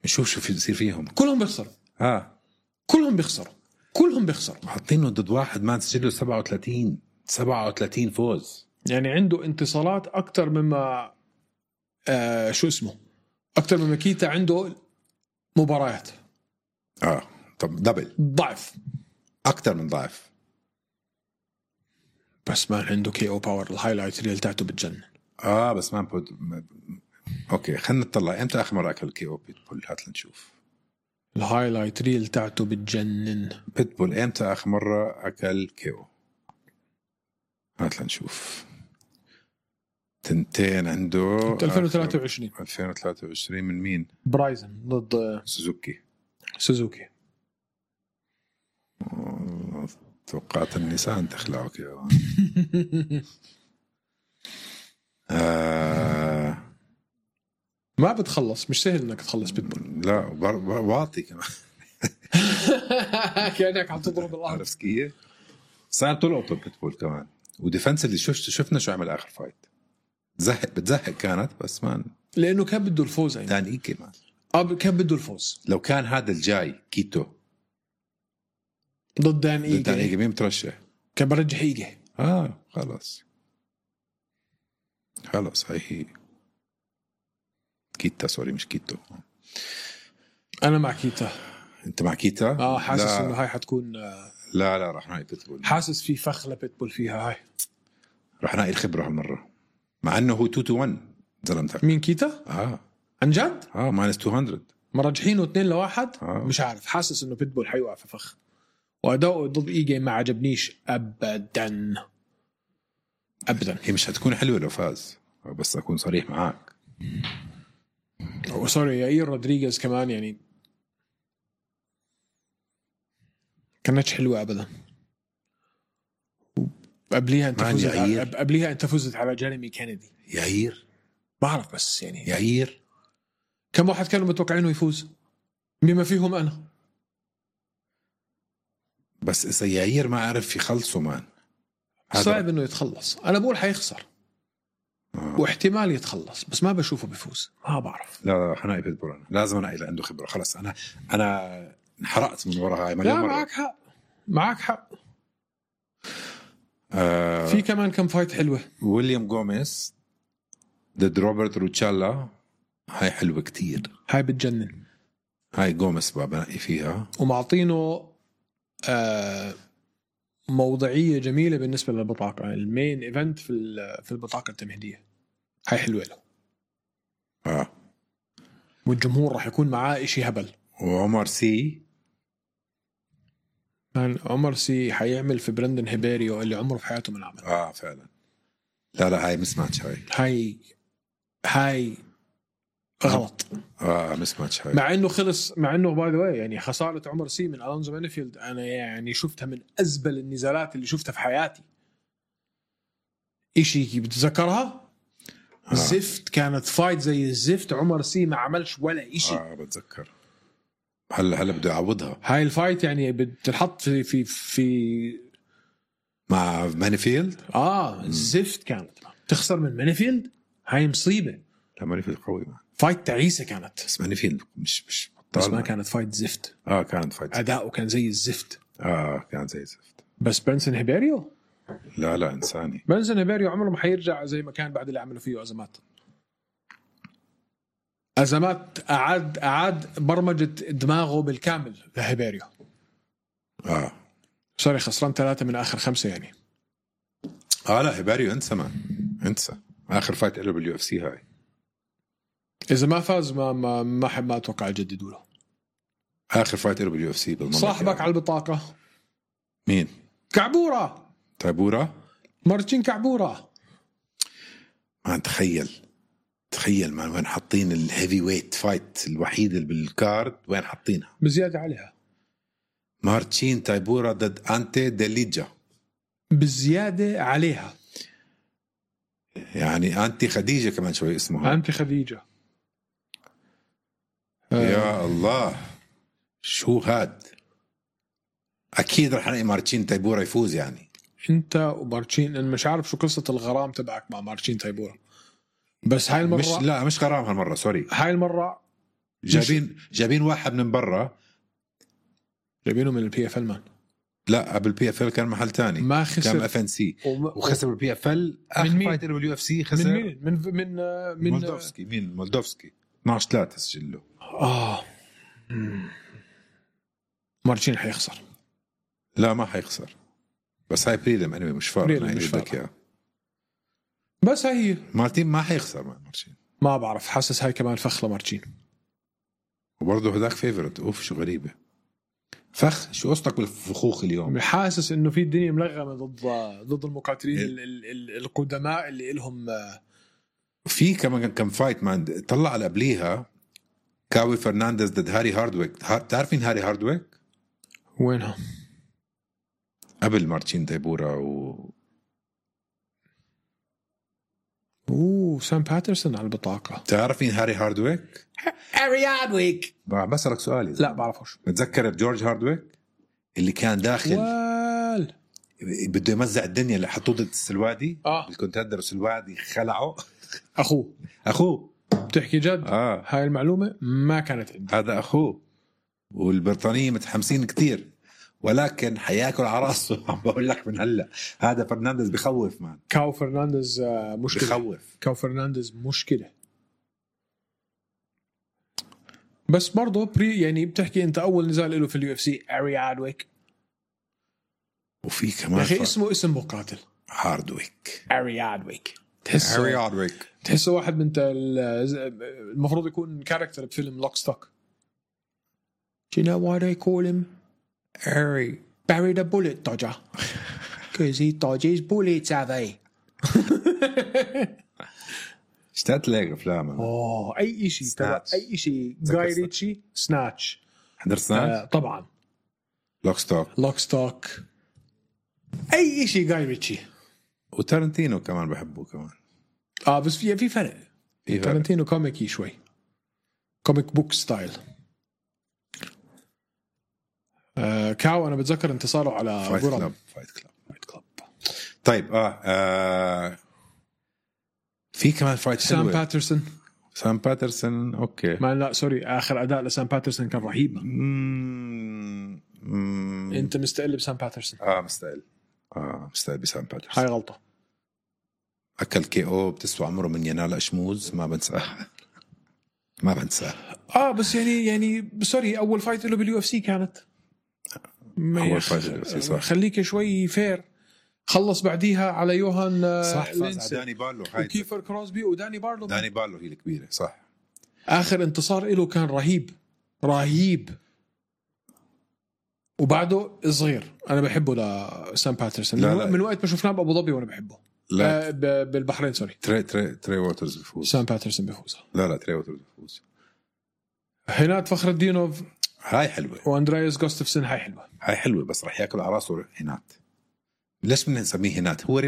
بنشوف شو بيصير فيهم. كلهم بيخسروا. كلهم بيخسروا. حاطينه ضد واحد ما سجله 37 فوز. يعني عنده انتصارات أكتر مما أكتر مما كيتا عنده مباريات. طب دبل ضعف، أكتر من ضعف. بس ما عنده KO باور. الهايلايت ريل تاعته بتجنن. بس ما اوكي خلينا نطلع امتى اخر مره اكل KO بيتبول. هات لنشوف. الهايلايت ريل تاعته بتجنن. بيتبول امتى اخر مره اكل KO؟ هات لنشوف. تنتين عنده 2023 من مين؟ برايزن ضد سوزوكي. توقعت النساء تخلعوا كده. ما بتخلص، مش سهل انك تخلص بيتبول. لا واطي كمان. كأنك عم تضرب الارض. عرفت كيف؟ صار طلعوا بيتبول كمان. وديفنس اللي شفنا شو عمل اخر فايت. بتزهق كانت، بس ما لانه كان بده الفوز. يعني دان إيجي كمان كان بده الفوز. لو كان هذا الجاي كيتو ضد دان إيجي مين بترشح؟ كان برجح إيجي. خلاص هي كيتا. سوري مش كيتو. أنا مع كيتا. أنت مع كيتا؟ حاسس إنه هاي حتكون لا راح نلاقي بيتبول. حاسس في فخ لبيتبول فيها. هاي راح نلاقي الخبرة هالمرة، مع إنه هو 2-1 زلمتك. مين كيتا؟ عن جد؟ ماينس 200 مرجحينه 2-1. مش عارف، حاسس إنه بيتبول حيوقع في فخ. وأداؤه ضد إيجي ما عجبنيش أبدا. هي مش هتكون حلوة لو فاز، بس أكون صريح معاك. سوري يائير رودريغيز كمان يعني كانتش حلوة أبدا. قبليها أنت فزت على جيريمي كينيدي. يائير بعرف، بس يعني يائير كم واحد كانوا متوقعينه يفوز بما فيهم أنا. بس إذا يائير ما عرف يخلصه مان صعب إنه يتخلص. أنا بقول حيخسر واحتمال يتخلص، بس ما بشوفه بيفوز. ما بعرف. لا حناقي بيتبول. لازم أنا عنده خبرة. خلاص أنا انحرقت من وراء هاي. لا معك حق. في كمان كم فايت حلوة. ويليام غوميز ضد روبرت روتشالا. هاي حلوة كتير. هاي بتجنن. هاي غوميز بنقي فيها. ومعطينه موضعية جميلة بالنسبة للبطاقة. المين ايفنت في البطاقة التمهيدية. هاي حلوة له. والجمهور راح يكون معاه إشي هبل. وعمر سي حيعمل في برندن هيبيريو اللي عمره في حياته من عمل. فعلا. لا هاي مسماتش. هاي غلط. مسماتش هاي. مع انه باي ذا واي يعني خسارة عمر سي من ألونزو مانيفيلد انا يعني شفتها من ازبل النزالات اللي شفتها في حياتي. إشي بتذكرها زفت. كانت فايت زي الزفت. عمر سي ما عملش ولا إشي. بتذكر. هلا بده يعوضها. هاي الفايت يعني بتحط في مع مانيفيلد. زفت. كانت تخسر من مانيفيلد. هاي مصيبة. لا مانيفيلد قوي. فايت تعيسة كانت. بس مانيفيلد مش بس ما كانت فايت زفت. كانت فايت. أداؤه كان زي الزفت. كان زي الزفت. بس بنسن هيبيريو لا إنساني. بنسن هيبيريو عمره ما حيرجع زي ما كان بعد اللي عملوا فيه أزمات. أعاد برمجة دماغه بالكامل لهيبيريو. سوري خسران 3 من آخر 5 يعني. لا هيبيريو انسى. اخر فايت له باليو اف سي هاي. اذا ما فاز ما اتوقع يجددوا له. اخر فايت له باليو اف سي بالمره. صاحبك على البطاقه مين؟ كعبوره. تايبورا. مارتشين كعبوره. ما تخيل ما وين حاطين الهيفي ويت فايت الوحيد اللي بالكارد، وين حاطينها بزياده عليها. مارتشين تايبورا ضد أنتي ديليجا. بزياده عليها يعني أنتي خديجة كمان شوي اسمها. أنتي خديجة. يا الله شو هاد. أكيد رح نلاقي مارتشين تايبورا يفوز. يعني أنت ومارتشين، أنا مش عارف شو قصة الغرام تبعك مع مارتشين تايبورا، بس هاي المرة مش غرام هالمرة، سوري. هاي المرة جايبين واحد من برا، جايبينه من البي اف ال مان. لا قبل البي اف ال كان محل تاني، ما خسر، كان اف ان سي وخسر بالبي اف ال. اخر فايت له باليو اف سي خسر من مين؟ من مولدوفسكي. مين مولدوفسكي؟ 12-3 سجله. مارتشين حيخسر. لا ما حيخسر، بس هاي بريلم انمي مش فارق. مش فارق، بس هي مارتين ما حيخسر مع مارتين. ما بعرف، حاسس هاي كمان فخ لمارتشين. وبرضه هداك فيفورت. اوف شو غريبة. فخ. شو قصتك بالفخوخ اليوم؟ حاسس انه في الدنيا ملغمة ضد المقاتلين القدماء اللي إلهم. في كمان كم فايت مان طلع على قبليها. كاوي فرنانديز ضد هاري هاردويك. تعرفين هاري هاردويك؟ وينها؟ قبل مارتشين تايبورا سام باترسون على البطاقة. تعرفين هاري هاردويك؟ هاري هاردويك. بسألك سؤالي. لا بعرفوش. متذكر جورج هاردويك اللي كان داخل بده يمزع الدنيا اللي حطوه ضد السلوادي؟ الكونتندر السلوادي خلعه. أخوه. بتحكي جد؟ هاي المعلومة ما كانت عندي. هذا أخوه، والبريطانيين متحمسين كتير، ولكن حياكل على راسه. عم بقول لك من هلا هذا فرنانديز بخوف مان. كاو فرنانديز مشكلة. بخوف. كاو فرنانديز مشكلة. بس برضه يعني بتحكي انت اول نزال له في اليو اف سي هاري هاردويك. وفي كمان اخي اسمه اسم مقاتل هاردويك. هاري هاردويك. هاري هاردويك تحسه واحد من المفروض يكون كاركتر بفيلم لوك ستوك. Do you know why they call him Harry? Bury the bullet dodger. Because he dodges bullets, have they? اشتقت لك افلام. اي شيء تبع اي شيء. جاي ريتشي سناتش. حضرت سناتش؟ طبعا. لوك ستوك. اي شيء جاي ريتشي. وتارنتينو كمان بحبه كمان. بس في فرق. تارنتينو كوميكي شوي، كوميك بوك ستايل. كاو انا بتذكر انتصاره على فايت كلاب. طيب في كمان فايت سام باترسون اوكي. ما لا سوري، اخر اداء لسام باترسون كان رهيب. انت مستقل بسام باترسون؟ مستقل بسام باترسون. هاي غلطه. اكل كي او بتسوى عمره من ينال اشموز. ما بنساه. بس يعني سوري، اول فايت له باليو اف سي كانت اول فايت باليو اف سي. صح. خليك شوي فير. خلص بعديها على يوهان. صح. فاز على داني بارلو. وكيفر كروسبي وداني بارلو. داني بارلو هي الكبيرة. صح. آخر انتصار له كان رهيب. وبعده صغير. أنا بحبه لسام باترسون من وقت ما شفناه بأبو ظبي وأنا بحبه. لا بالبحرين سوري. تري ووترز بيفوز. سام باترسون بيفوز. لا تري ووترز بيفوز. هينات فخر الدينوف هاي حلوة. واندرياس جوستفسون هاي حلوة بس رح ياكل على راسه هينات. ليش بدنا نسميه هينات؟ هو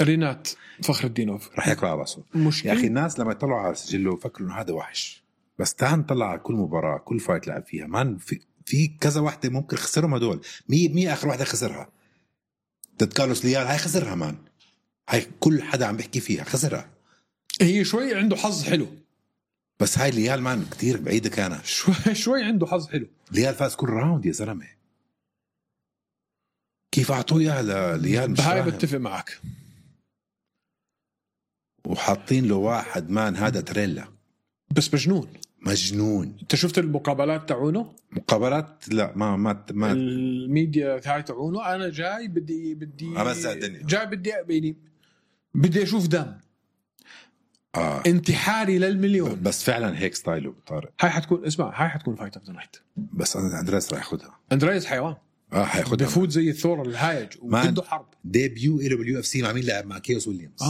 رينات فخر الدينوف. رح ياكل على راسه. يا أخي الناس لما يطلعوا على سجله فكروا إنه هذا وحش، بس تعال نطلع على كل مباراة كل فايت لعب فيها مان. في كذا واحدة ممكن خسرهم هدول. مية آخر واحدة خسرها ضد كارلوس ليال. هاي خسرها مان. هاي كل حدا عم بيحكي فيها خسرها. هي شوي عنده حظ حلو، بس هاي ليال مان كتير بعيدة كانت. شوي عنده حظ حلو. ليال فاز كل راوند يا زلمة. كيف أعطوه إياها ليال؟ مش هاي بتفق معك. وحاطين له واحد مان هذا تريلا بس مجنون. انت شفت المقابلات تاعونه؟ مقابلات لا ما الميديا هاي تاعونه. انا جاي بدي امزع الدنيا. جاي بدي اشوف دم. انتحاري للمليون. بس فعلا هيك ستايله طارق. هاي حتكون فايت اوف ذا نايت. بس اندريس راح ياخذها. اندريس حيوان. حياخذها. بفوت زي الثور الهايج وبده حرب. ديبيو له باليو اف سي مع مين؟ لعب مع كيوس ويليامز.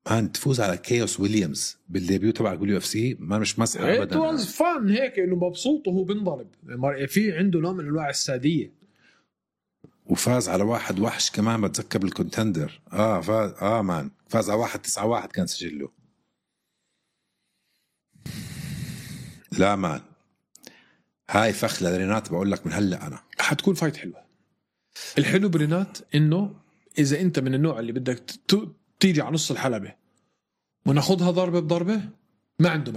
مان تفوز على كيوس ويليامز بالديبيو تبعك باليو اف سي ما مش مسحه ابدا. واز فان هيك انه مبسوط وهو بنضرب في عنده نوع من انواع الساديه. وفاز على واحد وحش كمان بتذكر بالكونتندر. فاز مان فاز على 1-9 كان سجله. لا مان هاي فخ لرينات بقول لك من هلا انا حتكون فايت حلوه. الحلو برينات انه اذا انت من النوع اللي بدك تيجي على نص الحلبة وناخدها ضربة بضربة ما عنده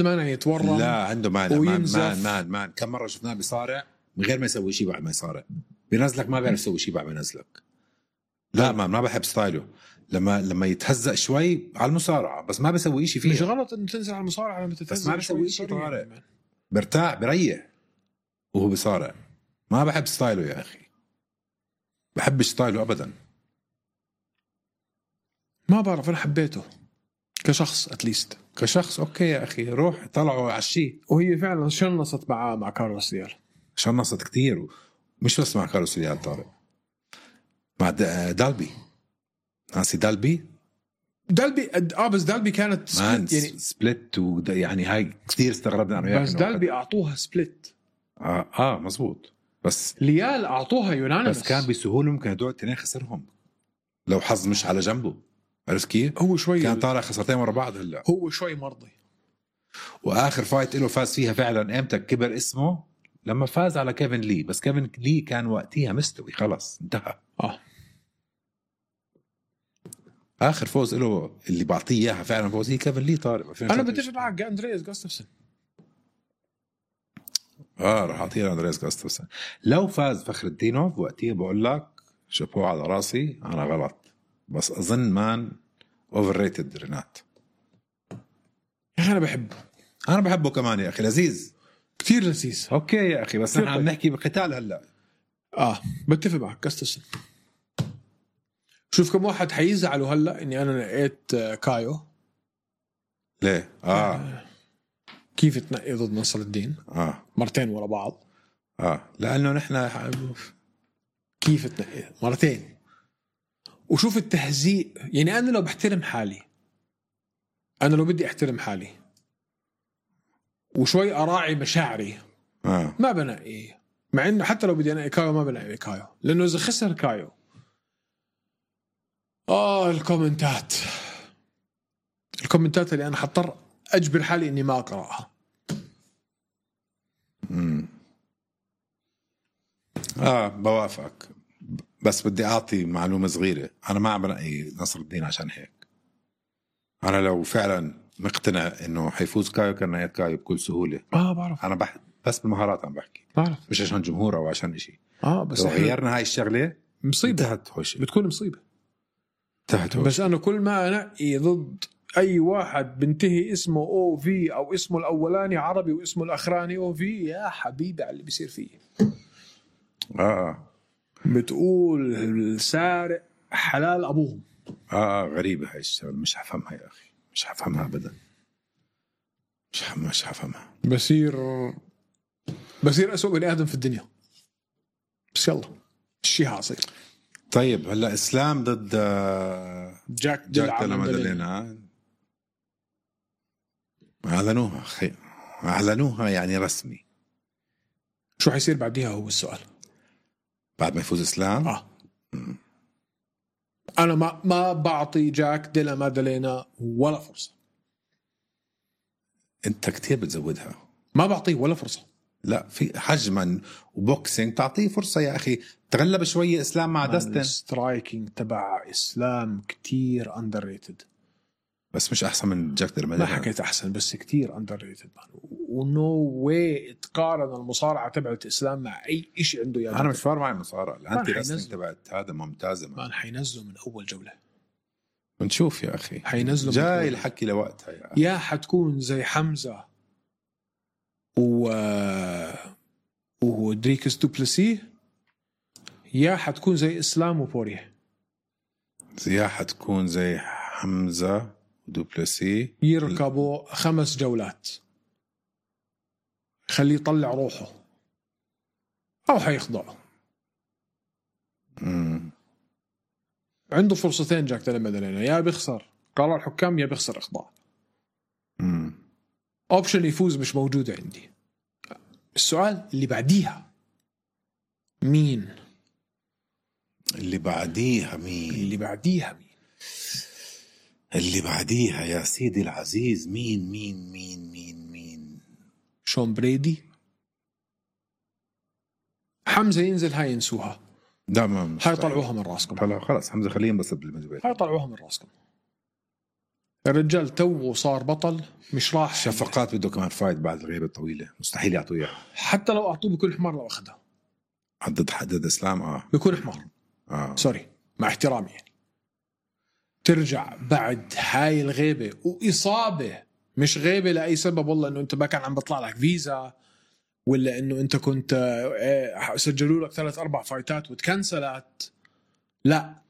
مانع يتورم. لا عنده مانع. مان كم مرة شفناه بيصارع من غير ما يسوي شيء بعد ما يصارع بينزلك ما بيعرف يسوي شيء بعد ما ينزلك. لا ما بحب ستايله لما يتهزق شوي على المصارعة بس ما بيسوي شيء فيها. مش غلط انه تنزل على المصارعة لما تتهزق بس ما بيسوي شيء طارق. برتاح بريح وهو بيصارع. ما بحب ستايله يا أخي. بحب ستايله أبدا. ما بعرف أنا حبيته كشخص أتليست كشخص أوكي يا أخي روح طلعوا على الشيء. وهي فعلا شنصت مع كارلوس ديال. شنصت كتير مش بس مع كارلوس ديال طارق مع دالبي. ناسي دالبي بس دالبي كانت سبلت يعني سبلت يعني هاي كتير استغربنا أنا. بس دالبي أعطوها سبلت. مزبوط. بس ليال أعطوها يونانيمس. بس كان بسهولة ممكن هدول التنين خسرهم لو حظ مش على جنبه. عرفت كيف؟ هو شوي كان طالع خسرتين ورا بعض. هلا هو شوي مرضي. واخر فايت له فاز فيها فعلا امتى كبر اسمه؟ لما فاز على كيفن لي. بس كيفن لي كان وقتها مستوي خلص انتهى. اخر فوز له اللي بعطيه اياها فعلا فوز هي كيفن لي طارق. انا بتفق معك اندرياس غاستفسن. راح اعطيه اندرياس غاستفسن. لو فاز فخر الدينوف وقتها بقول لك شابو على راسي. انا غلط بس اظن مان اوفر ريتد رينات. انا بحبه كمان يا اخي. لذيذ كتير لذيذ. اوكي يا اخي بس نحن عم نحكي بقتال هلا. بتفق معك غاستفسن. شوف كم واحد حيزعلوا هلا اني انا نقيت كايو. ليه؟ كيف تنقي ضد نصر الدين؟ مرتين ورا بعض. لانه نحن كيف تنقي مرتين. وشوف التهزيء. يعني انا لو بحترم حالي انا لو بدي احترم حالي وشوي اراعي مشاعري ما بنقي. مع انه حتى لو بدي انقي كايو ما بنقي كايو لانه اذا خسر كايو الكومنتات اللي انا حضطر اجبر حالي اني ما اقراها. بوافقك بس بدي اعطي معلومه صغيره. انا ما عم بنقي نصر الدين عشان هيك. انا لو فعلا مقتنع انه حيفوز كايو كان نقيت كايو بكل سهوله. بعرف انا بس بالمهارات عم بحكي. بعرف مش عشان جمهور او عشان إشي. بس لو غيرنا هاي الشغله مصيبه. بتكون مصيبه. بس انا كل ما انقي ضد اي واحد بنتهي اسمه او في او اسمه الاولاني عربي واسمه الاخراني او في يا حبيبي على اللي بيصير فيه. بتقول السارق حلال ابوهم. غريبه هاي الشغله مش حفهمها يا اخي. مش حفهمها ابدا. مش حفهمها. بصير اسوء بني ادم في الدنيا. بس يلا الشيء حاصل. طيب هلا اسلام ضد جاك ديلا مادالينا. اعلنوها يعني رسمي. شو حيصير بعديها هو السؤال. بعد ما يفوز اسلام انا ما بعطي جاك ديلا مادالينا ولا فرصه. انت كتير بتزودها. ما بعطيه ولا فرصه. لا في حجما وبوكسينج تعطيه فرصه يا اخي. تغلب شويه اسلام مع داستن. السترايكينج تبع اسلام كتير اندر ريتد. بس مش احسن من جاك ديلا مادالينا. ما حكيت احسن بس كتير اندر ريتد. ونو واي تقارن المصارعه تبعت اسلام مع اي شيء عنده. يعني انا مش فارق معي المصارعه. الانتي رسلينج تبعت هذا ممتازه. ما حينزلوا من اول جوله. بنشوف يا اخي. حينزلوا جاي الحكي لوقتها يعني. يا حتكون زي حمزه ودريكس دوبلسي يا حتكون زي اسلام وبوريه. يا حتكون زي حمزة ودوبلسي يركبوا 5 جولات، خليه يطلع روحه أو حيخضعه. عنده فرصتين جاك تيلي مادالينا، يا بيخسر قرار الحكام يا بيخسر إخضاع. أوبشن يفوز مش موجود عندي. السؤال اللي بعديها مين؟ اللي بعديها يا سيدي العزيز مين شون بريدي. حمزة ينزل هاي ينسوها، دائما هاي طلعوها من راسكم. هلا خلاص حمزة خليه ينبسط بالميدل. هاي طلعوها من راسكم. الرجال تو صار بطل، مش راح. شفقات بده كمان فايت بعد الغيبة الطويلة، مستحيل يعطوه اياها. حتى لو أعطوه بكل حمار لو أخذها حدد إسلام بكل حمار. سوري مع احترامي يعني. ترجع بعد هاي الغيبة وإصابة، مش غيبة لأي سبب، والله إنه أنت ما كان عم بطلع لك فيزا، ولا إنه أنت كنت سجلوا لك 3-4 فايتات وتكنسلت. لا،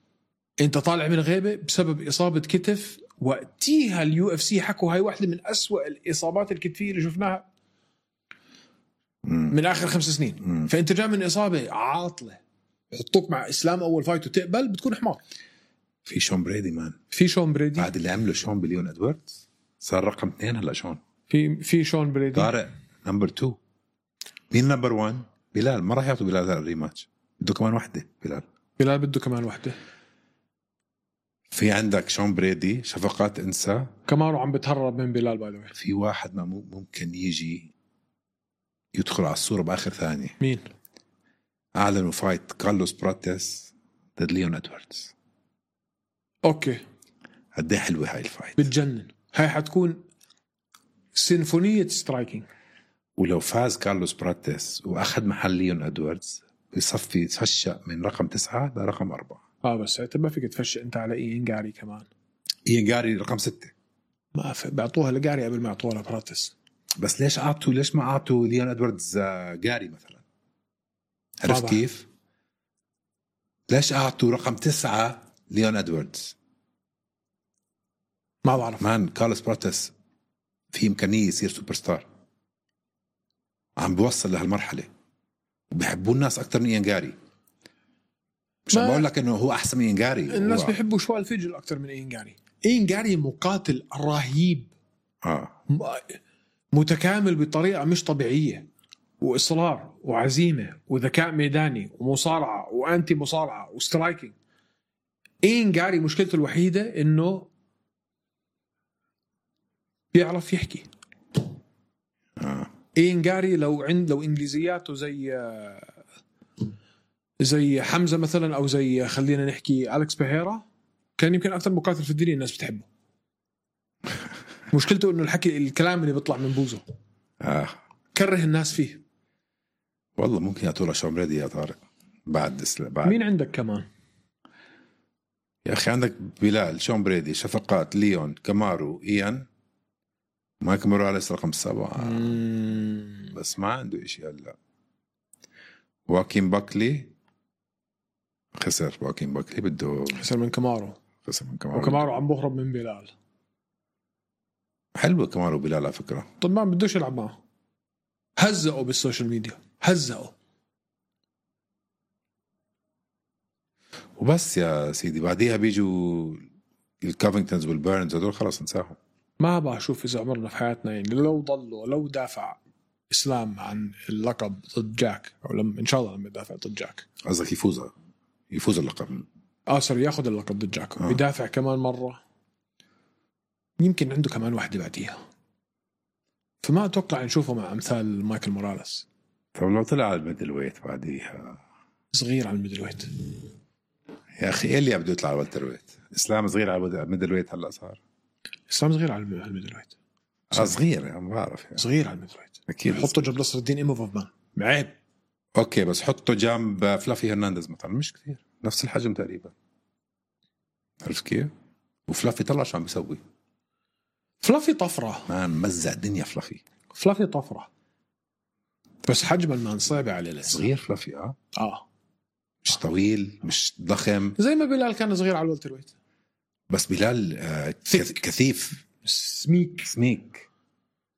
أنت طالع من الغيبة بسبب إصابة كتف. وقتيها UFC حكوا هاي واحدة من أسوأ الإصابات الكتفية اللي شفناها من آخر 5 سنين. فأنت جاء من إصابة عاطلة، يحطوك مع إسلام أول فايت وتقبل، بتكون حمار. في شون بريدي بعد اللي عمله شون بليون إدواردز صار رقم 2 هلا. شون في شون بريدي طارق نمبر 2. مين نمبر 1؟ بلال. ما راح يعطوا بلال الريماتش، بده كمان واحدة. بلال بده كمان واحدة. في عندك شون بريدي، شفقات انسى. كمارو عم بتهرب من بلال باي ذا واي. في واحد ما ممكن يجي يدخل على الصورة بآخر ثانية. مين؟ أعلنوا فايت كارلوس براتيس ضد ليون إدواردز. أوكي، قد ايه حلوة هاي الفايت، بتجنن. هاي حتكون سيمفونية سترايكينج. ولو فاز كارلوس براتيس وأخذ محل ليون إدواردز بيصفي تفشق من رقم 9 لرقم 4. بس انت ما فيك تفشق انت على إيان جاري كمان. إيان جاري رقم 6. ما بيعطوها لجاري قبل ما يعطوها لبراتيس. بس ليش ما أعطوا ليون إدواردز جاري مثلا؟ عرفت كيف؟ ليش أعطوا رقم 9 ليون إدواردز؟ ما بعرف. كارلوس براتيس في إمكانية يصير سوبر ستار، عم بوصل لهالمرحلة وبيحبوا الناس أكتر من إيان جاري. مش بقول لك إنه هو أحسن من إيان جاري. الناس بيحبوا شوال فيجل أكتر من إيان جاري. إيان جاري مقاتل رهيب، متكامل بطريقة مش طبيعية، وإصرار وعزيمة وذكاء ميداني ومصارعة وأنتي مصارعة وسترايكينج. إيان جاري مشكلته الوحيدة إنه بيعرف يحكي. إيان جاري لو إنجليزياته زي حمزة مثلا، أو زي خلينا نحكي أليكس بيهيرا، كان يمكن أكثر مقاتل في الدنيا الناس بتحبه. مشكلته إنه الكلام اللي بيطلع من بوزه كره الناس فيه. والله ممكن يعطوله شون بريدي يا طارق. بعد مين عندك كمان يا أخي؟ عندك بلال، شون بريدي، شفقات، ليون، كامارو، إيان، مايك موراليس رقم 7. بس ما عنده إشي هلا. واكين باكلي خسر. واكين باكلي بده خسر من كامارو. وكامارو عم بهرب من بلال. حلوة كامارو بلال على فكرة. طب ما بدوش يلعب معه، هزقوا بالسوشيال ميديا، هزقوا وبس يا سيدي. بعديها بيجوا الكافينغتونز والبيرنز، هدول خلاص نساهم. ما بشوف إذا عمرنا في حياتنا يعني لو دافع إسلام عن اللقب ضد جاك، أو إن شاء الله لما يدافع ضد جاك. قصدك يفوز اللقب. سوري، ياخذ اللقب ضد جاك. بيدافع كمان مرة، يمكن عنده كمان واحدة بعديها. فما أتوقع نشوفه مع أمثال مايكل موراليس. طب لو طلع على الميدل ويت بعديها؟ صغير على الميدل ويت يا أخي. إيه اللي بده يطلع على الوتر ويت؟ إسلام صغير على الميدل ويت. هلأ صار إسلام صغير على الميدل ويت. صغير يعني، ما بعرف يعني. صغير على الميدل ويت. أكيد. حطه جنب نصر الدين إيموفوفمان، عيب. أوكي، بس حطه جنب فلافي هرنانديز مثلا، مش كثير، نفس الحجم تقريبا. عرفت كيف؟ وفلافي طلع شو عم بيسوي. فلافي طفرة، ما مزع الدنيا. فلافي طفرة، بس حجم المان صعب عليه لسه. صغير فلافي. مش طويل، مش ضخم. زي ما بلال كان صغير على الولتر ويت. بس بلال كثيف سميك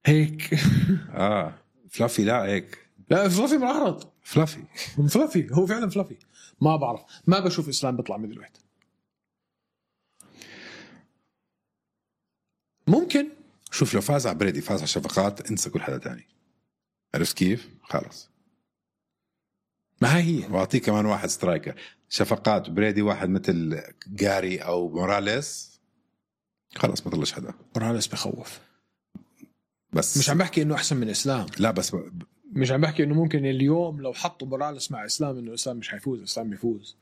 هيك. فلافي لا هيك. لا فلافي معرض. فلافي هو فعلا فلافي. ما بعرف، ما بشوف إسلام بيطلع ميدل ويت. ممكن شوف لو فاز على بريدي، فاز على شفقات، انسى كل حدا تاني. عرفت كيف؟ خلص. ما هي واعطيه كمان واحد سترايكر. شفقات بريدي واحد مثل جاري او موراليس، خلص ما طلعش حدا. موراليس بخوف. بس مش عم بحكي انه احسن من اسلام، لا بس مش عم بحكي انه ممكن اليوم لو حطوا موراليس مع اسلام انه اسلام مش حيفوز، اسلام بيفوز.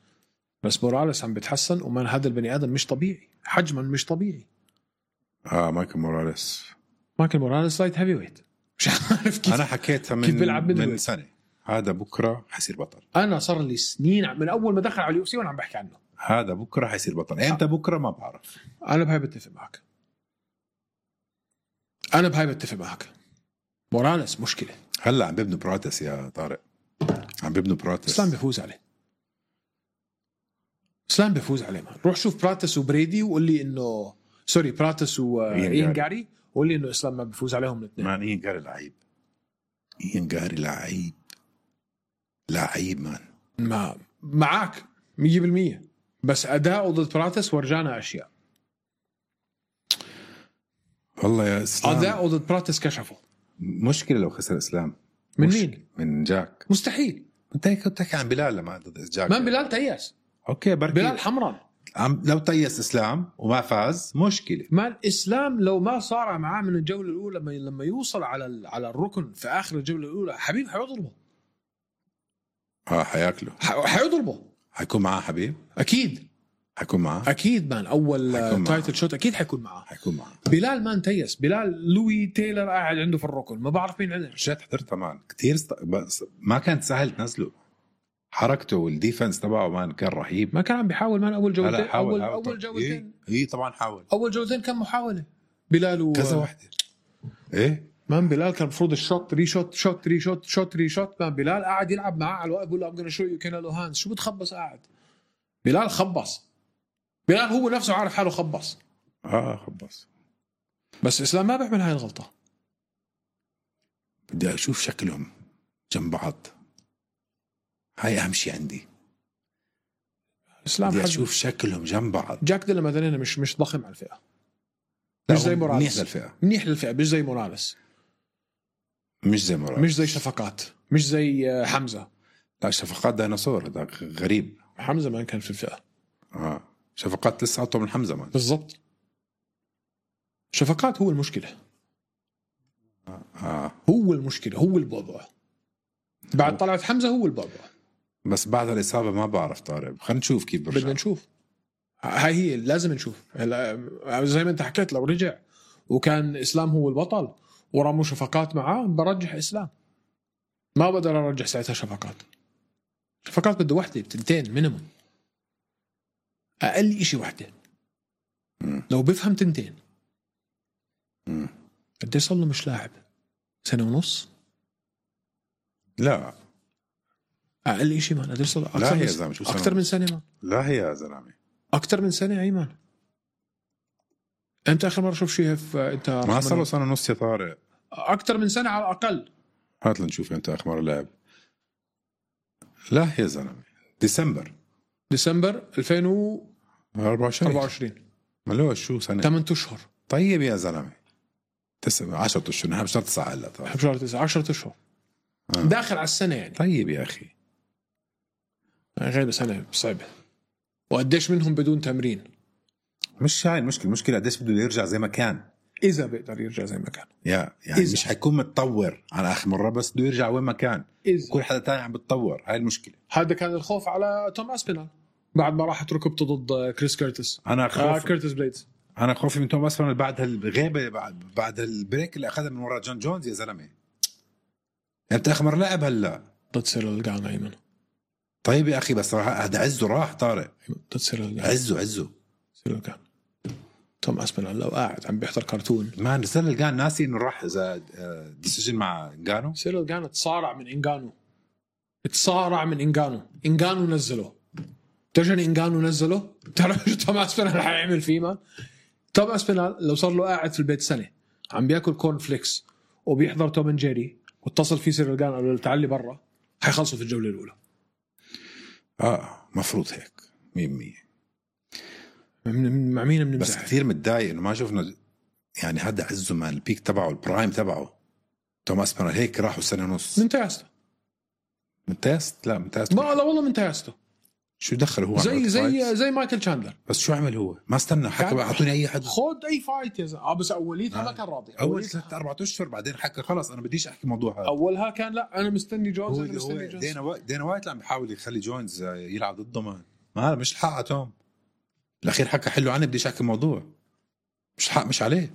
بس موراليس عم بيتحسن، ومن هذا البني ادم مش طبيعي، حجما مش طبيعي. مايكل موراليس لايت هيفي ويت. مش عارف كيف انا حكيتها من سنه. هذا بكره حيصير بطل. انا صار لي سنين من اول ما دخل على اليو سي وانا عم بحكي عنه. هذا بكره حيصير بطل. امتى بكره ما بعرف. انا بهاي بتفق معك. موراليس مشكله. هلا عم بيبنوا براتس يا طارق، عم بيبنوا براتس. اسلام بيفوز عليه ما. روح شوف براتس وبريدي وقول لي انه سوري براتس وإين جاري وقول لي انه اسلام ما بيفوز عليهم الاثنين. مان إين جاري لعيب مان. ما معك 100%، بس اداؤه ضد براتس ورجانا اشياء. والله يا اسلام اداؤه ضد براتس كشفه. مشكله لو خسر اسلام. من مين؟ من جاك. مستحيل. انت كنت تحكي عن بلال لما ضد جاك. ما بلال تيأس. اوكي بركي بلال حمران. لو تيأس اسلام وما فاز مشكله. ما الاسلام لو ما صار معاه من الجوله الاولى، لما يوصل على الركن في اخر الجوله الاولى، حبيب حيضربه. حياكله. حيضربه. حيكون معاه حبيب اكيد. حيكون معاه اكيد مان. اول تايتل شوت اكيد حيكون معاه. بلال مان تيس. بلال لوي تايلر قاعد عنده في الركن، ما بعرف مين عنده. شات حضرتها مان كتير بس ما كانت سهل تنزله. حركته والديفنس تبعه مان كان رهيب. ما كان عم بيحاول مان اول جولتين. اول جولتين طبعا حاول. اول جولتين كان محاولة بلال كذا واحدة. مان بلال كان المفروض الشوت ري شوت مان بلال قاعد يلعب معاه على الوقت بقول له I'm gonna show you Canelo Hands. شو بتخبص قاعد؟ بلال خبص. بلال هو نفسه عارف حاله خبص. خبص. بس إسلام ما بيعمل هاي الغلطة. بدي أشوف شكلهم جنب بعض. هاي أهم شيء عندي. إسلام بدي أشوف شكلهم جنب بعض. جاك ديلا مثلا مش ضخم على الفئة. مش زي موراليس. منيح للفئة. مش زي موراليس. مش زي شفقات. مش زي حمزة. لا شفقات ديناصور هذاك غريب. حمزة ما كان في الفئة. شفقات لسه أطول من حمزة مان. بالضبط. شفقات هو المشكلة. هو المشكلة. هو البعبع. بعد طلعت حمزة هو البعبع. بس بعد الإصابة ما بعرف طارق. خلينا نشوف كيف برجع. بدنا نشوف. هاي هي لازم نشوف. زي ما انت حكيت لو رجع وكان إسلام هو البطل ورموا شفقات معاه برجح إسلام. ما بقدر أرجح ساعتها شفقات بده واحدة تنتين مينيموم. أقل إشي واحدة. لو بفهم تنتين. قد صار له مش لاعب 1.5 سنة. لا أقل إشي مان. قد صار أكثر من سنة مان. لا هي يا زلمة أكثر من سنة أيمان. أنت آخر مرة شوف شيء أنت ما صار له 1.5 سنة يا طارق. أكثر من سنة على الأقل. هات لنشوف أنت آخر مرة لعب. لا يا زلمة ديسمبر 2024. ملوه شو سنة 8 أشهر. طيب يا زلمة 10 أشهر. نحن بشهر 9 هلا. بشهر 9 10 أشهر. داخل على السنة يعني. طيب يا أخي غير سنة صعبة. وقديش منهم بدون تمرين. مش هاي المشكلة قديش بده يرجع زي ما كان. إذا بيقدر يرجع زي ما كان. يعني مش حيكون متطور على آخر مرة بس بده يرجع وين ما كان. كل حدا تاني عم بتطور. هاي المشكلة. هذا كان الخوف على توم أسبينال بعد ما راحت ركبته ضد كريس كيرتس. كيرتس بليدز. أنا خوفي من توم أسبينال بعد هالغيبة بعد البريك اللي أخذها من وراء جون جونز يا زلمة. أنت آخر مرة لعب هلا ضد سيريل جان أيمن. طيب يا أخي بس هذا عزه راح طارق. ضد سيريل جان. عزه سيريل جان. توم أسبينال لو قاعد عم بيحضر كرتون. ما سيريل جان ناسي إنه راح إذا ديسيجن مع إنغانو. سيريل جان تصارع من إنغانو. إنغانو نزله. تجني انجانو نزله. بتعرف شو توم اسبينال رح يعمل فيه مان؟ توم اسبينال لو صار له قاعد في البيت سنه عم بياكل كورن فليكس وبيحضر توم اند جيري واتصل فيه سيريل جان قال له تعال لي برا، حيخلصوا في الجوله الاولى. مفروض هيك 100%. مع مين بنمزح؟ بس كثير متضايق انه ما شفنا يعني هذا عزه مان البيك تبعه البرايم تبعه. توم اسبينال هيك راحوا سنه ونص من تياسته لا لا والله من تياسته. شو دخل هو زي مايكل تشاندلر. بس شو عمل هو؟ ما استنى حكى اعطوني اي حد خد اي فايت يا زلمه. بس اوليتها ما كان راضي. اول 3-4 اشهر بعدين حكى خلص انا بديش احكي موضوع هذا. اولها كان لا انا مستني جونز. دينا وايت عم بيحاول يخلي جونز يلعب ضده ما هذا مش الحق توم. الاخير حكى حلو عني بديش احكي موضوع مش حق مش عليه.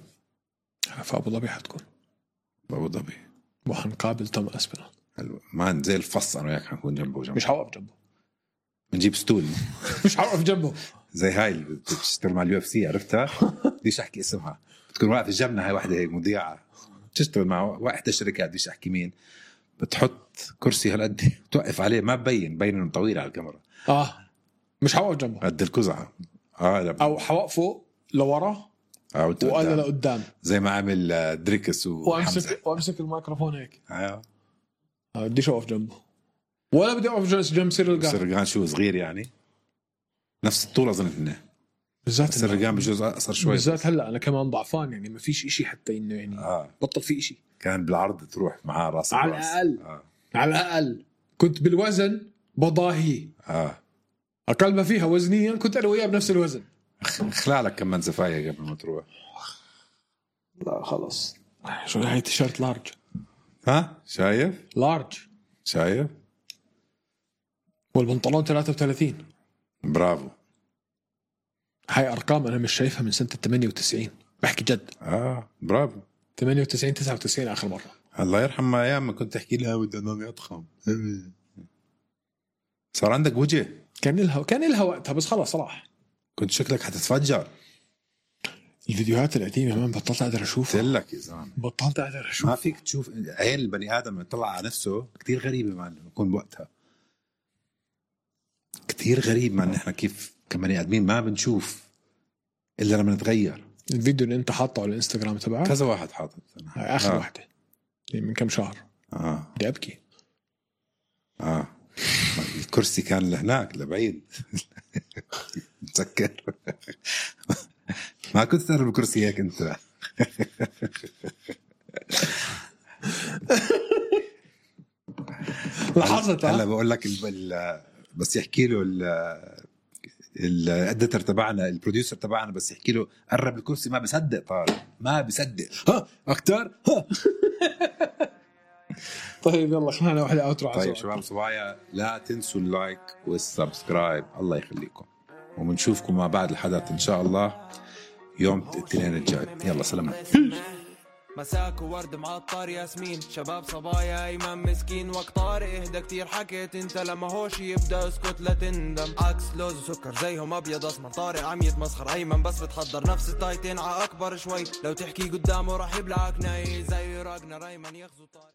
فابو ظبي حتكون ابو ظبي وحنقابل توم اسبينال مان زي الفص انا وياك حنكون جنبه مش حوقف جنبه بنجيب ستول مش حوقف جنبه زي هاي اللي بتشتغل مع اليو اف سي عرفتها بديش احكي اسمها بتكون واقفه جنبنا هاي واحده هيك مذيعه بتشتغل مع واحدة الشركات بديش احكي مين بتحط كرسي هالقد توقف عليه ما ببين انه طويل على الكاميرا مش حوقف جنبه قد الكزعه او حوقفه لورا وانا لقدام زي ما عمل دريكس وامسك الميكروفون هيك بديش اوقف جنبه ولا بدي اوقف جنب سيريل جان شو صغير يعني نفس الطول اظن انه بالذات سيريل جان بجوز اقصر شوي بالذات هلا انا كمان ضعفان يعني ما فيش إشي حتى انه يعني بطل في إشي كان بالعرض تروح معاه راس على الاقل على الاقل كنت بالوزن بضاهي اقل ما فيها وزنيا كنت انا وياه بنفس الوزن خلالك كمان زفاية قبل ما تروح لا خلص شو هاي تيشيرت لارج شايف لارج شايف والبنطلون 33 برافو هاي ارقام انا مش شايفها من سنه 98 بحكي جد برافو 98 99 اخر مره الله يرحم ما ايام ما كنت تحكي لها ودي انه اضخم صار عندك وجه كان لها وقتها بس خلاص راح كنت شكلك حتتفجر الفيديوهات القديمه ما بطلت اقدر اشوفها قلت لك يا زلمه بطلت اقدر اشوف ما فيك تشوف عين البني ادم يطلع على نفسه كتير غريبه ما يكون بوقتها كتير غريب ما نحن كيف كبني ادمين ما بنشوف الا لما نتغير. الفيديو اللي انت حاطه على الانستغرام تبعك كذا واحد حاطط اخر واحده من كم شهر بدي ابكي الكرسي كان لهناك لبعيد متذكر ما كنت تعرف الكرسي هيك انت لاحظت هلا بقول لك بس يحكي له الاديتور تبعنا البروديوسر تبعنا بس يحكي له قرب الكرسي ما بصدق طارق ما بصدق اكتر طيب يلا خلينا واحدة اوترو. طيب شباب صبايا لا تنسوا اللايك والسبسكرايب الله يخليكم وبنشوفكم مع بعد الحدث ان شاء الله يوم الاثنين الجاي. يلا سلامات. مساك وورد معطر ياسمين شباب صبايا ايمن مسكين وقت طارق اهدى كتير حكيت انت لما هوش يبدا اسكت لا تندم عكس لوز وسكر زيهم ابيض اسمر طارق عم يتمسخر ايمن بس بتحضر نفس التايتين ع اكبر شوي لو تحكي قدامه راح يبلعك ناي زي راجنا ايمن يغزو طارق.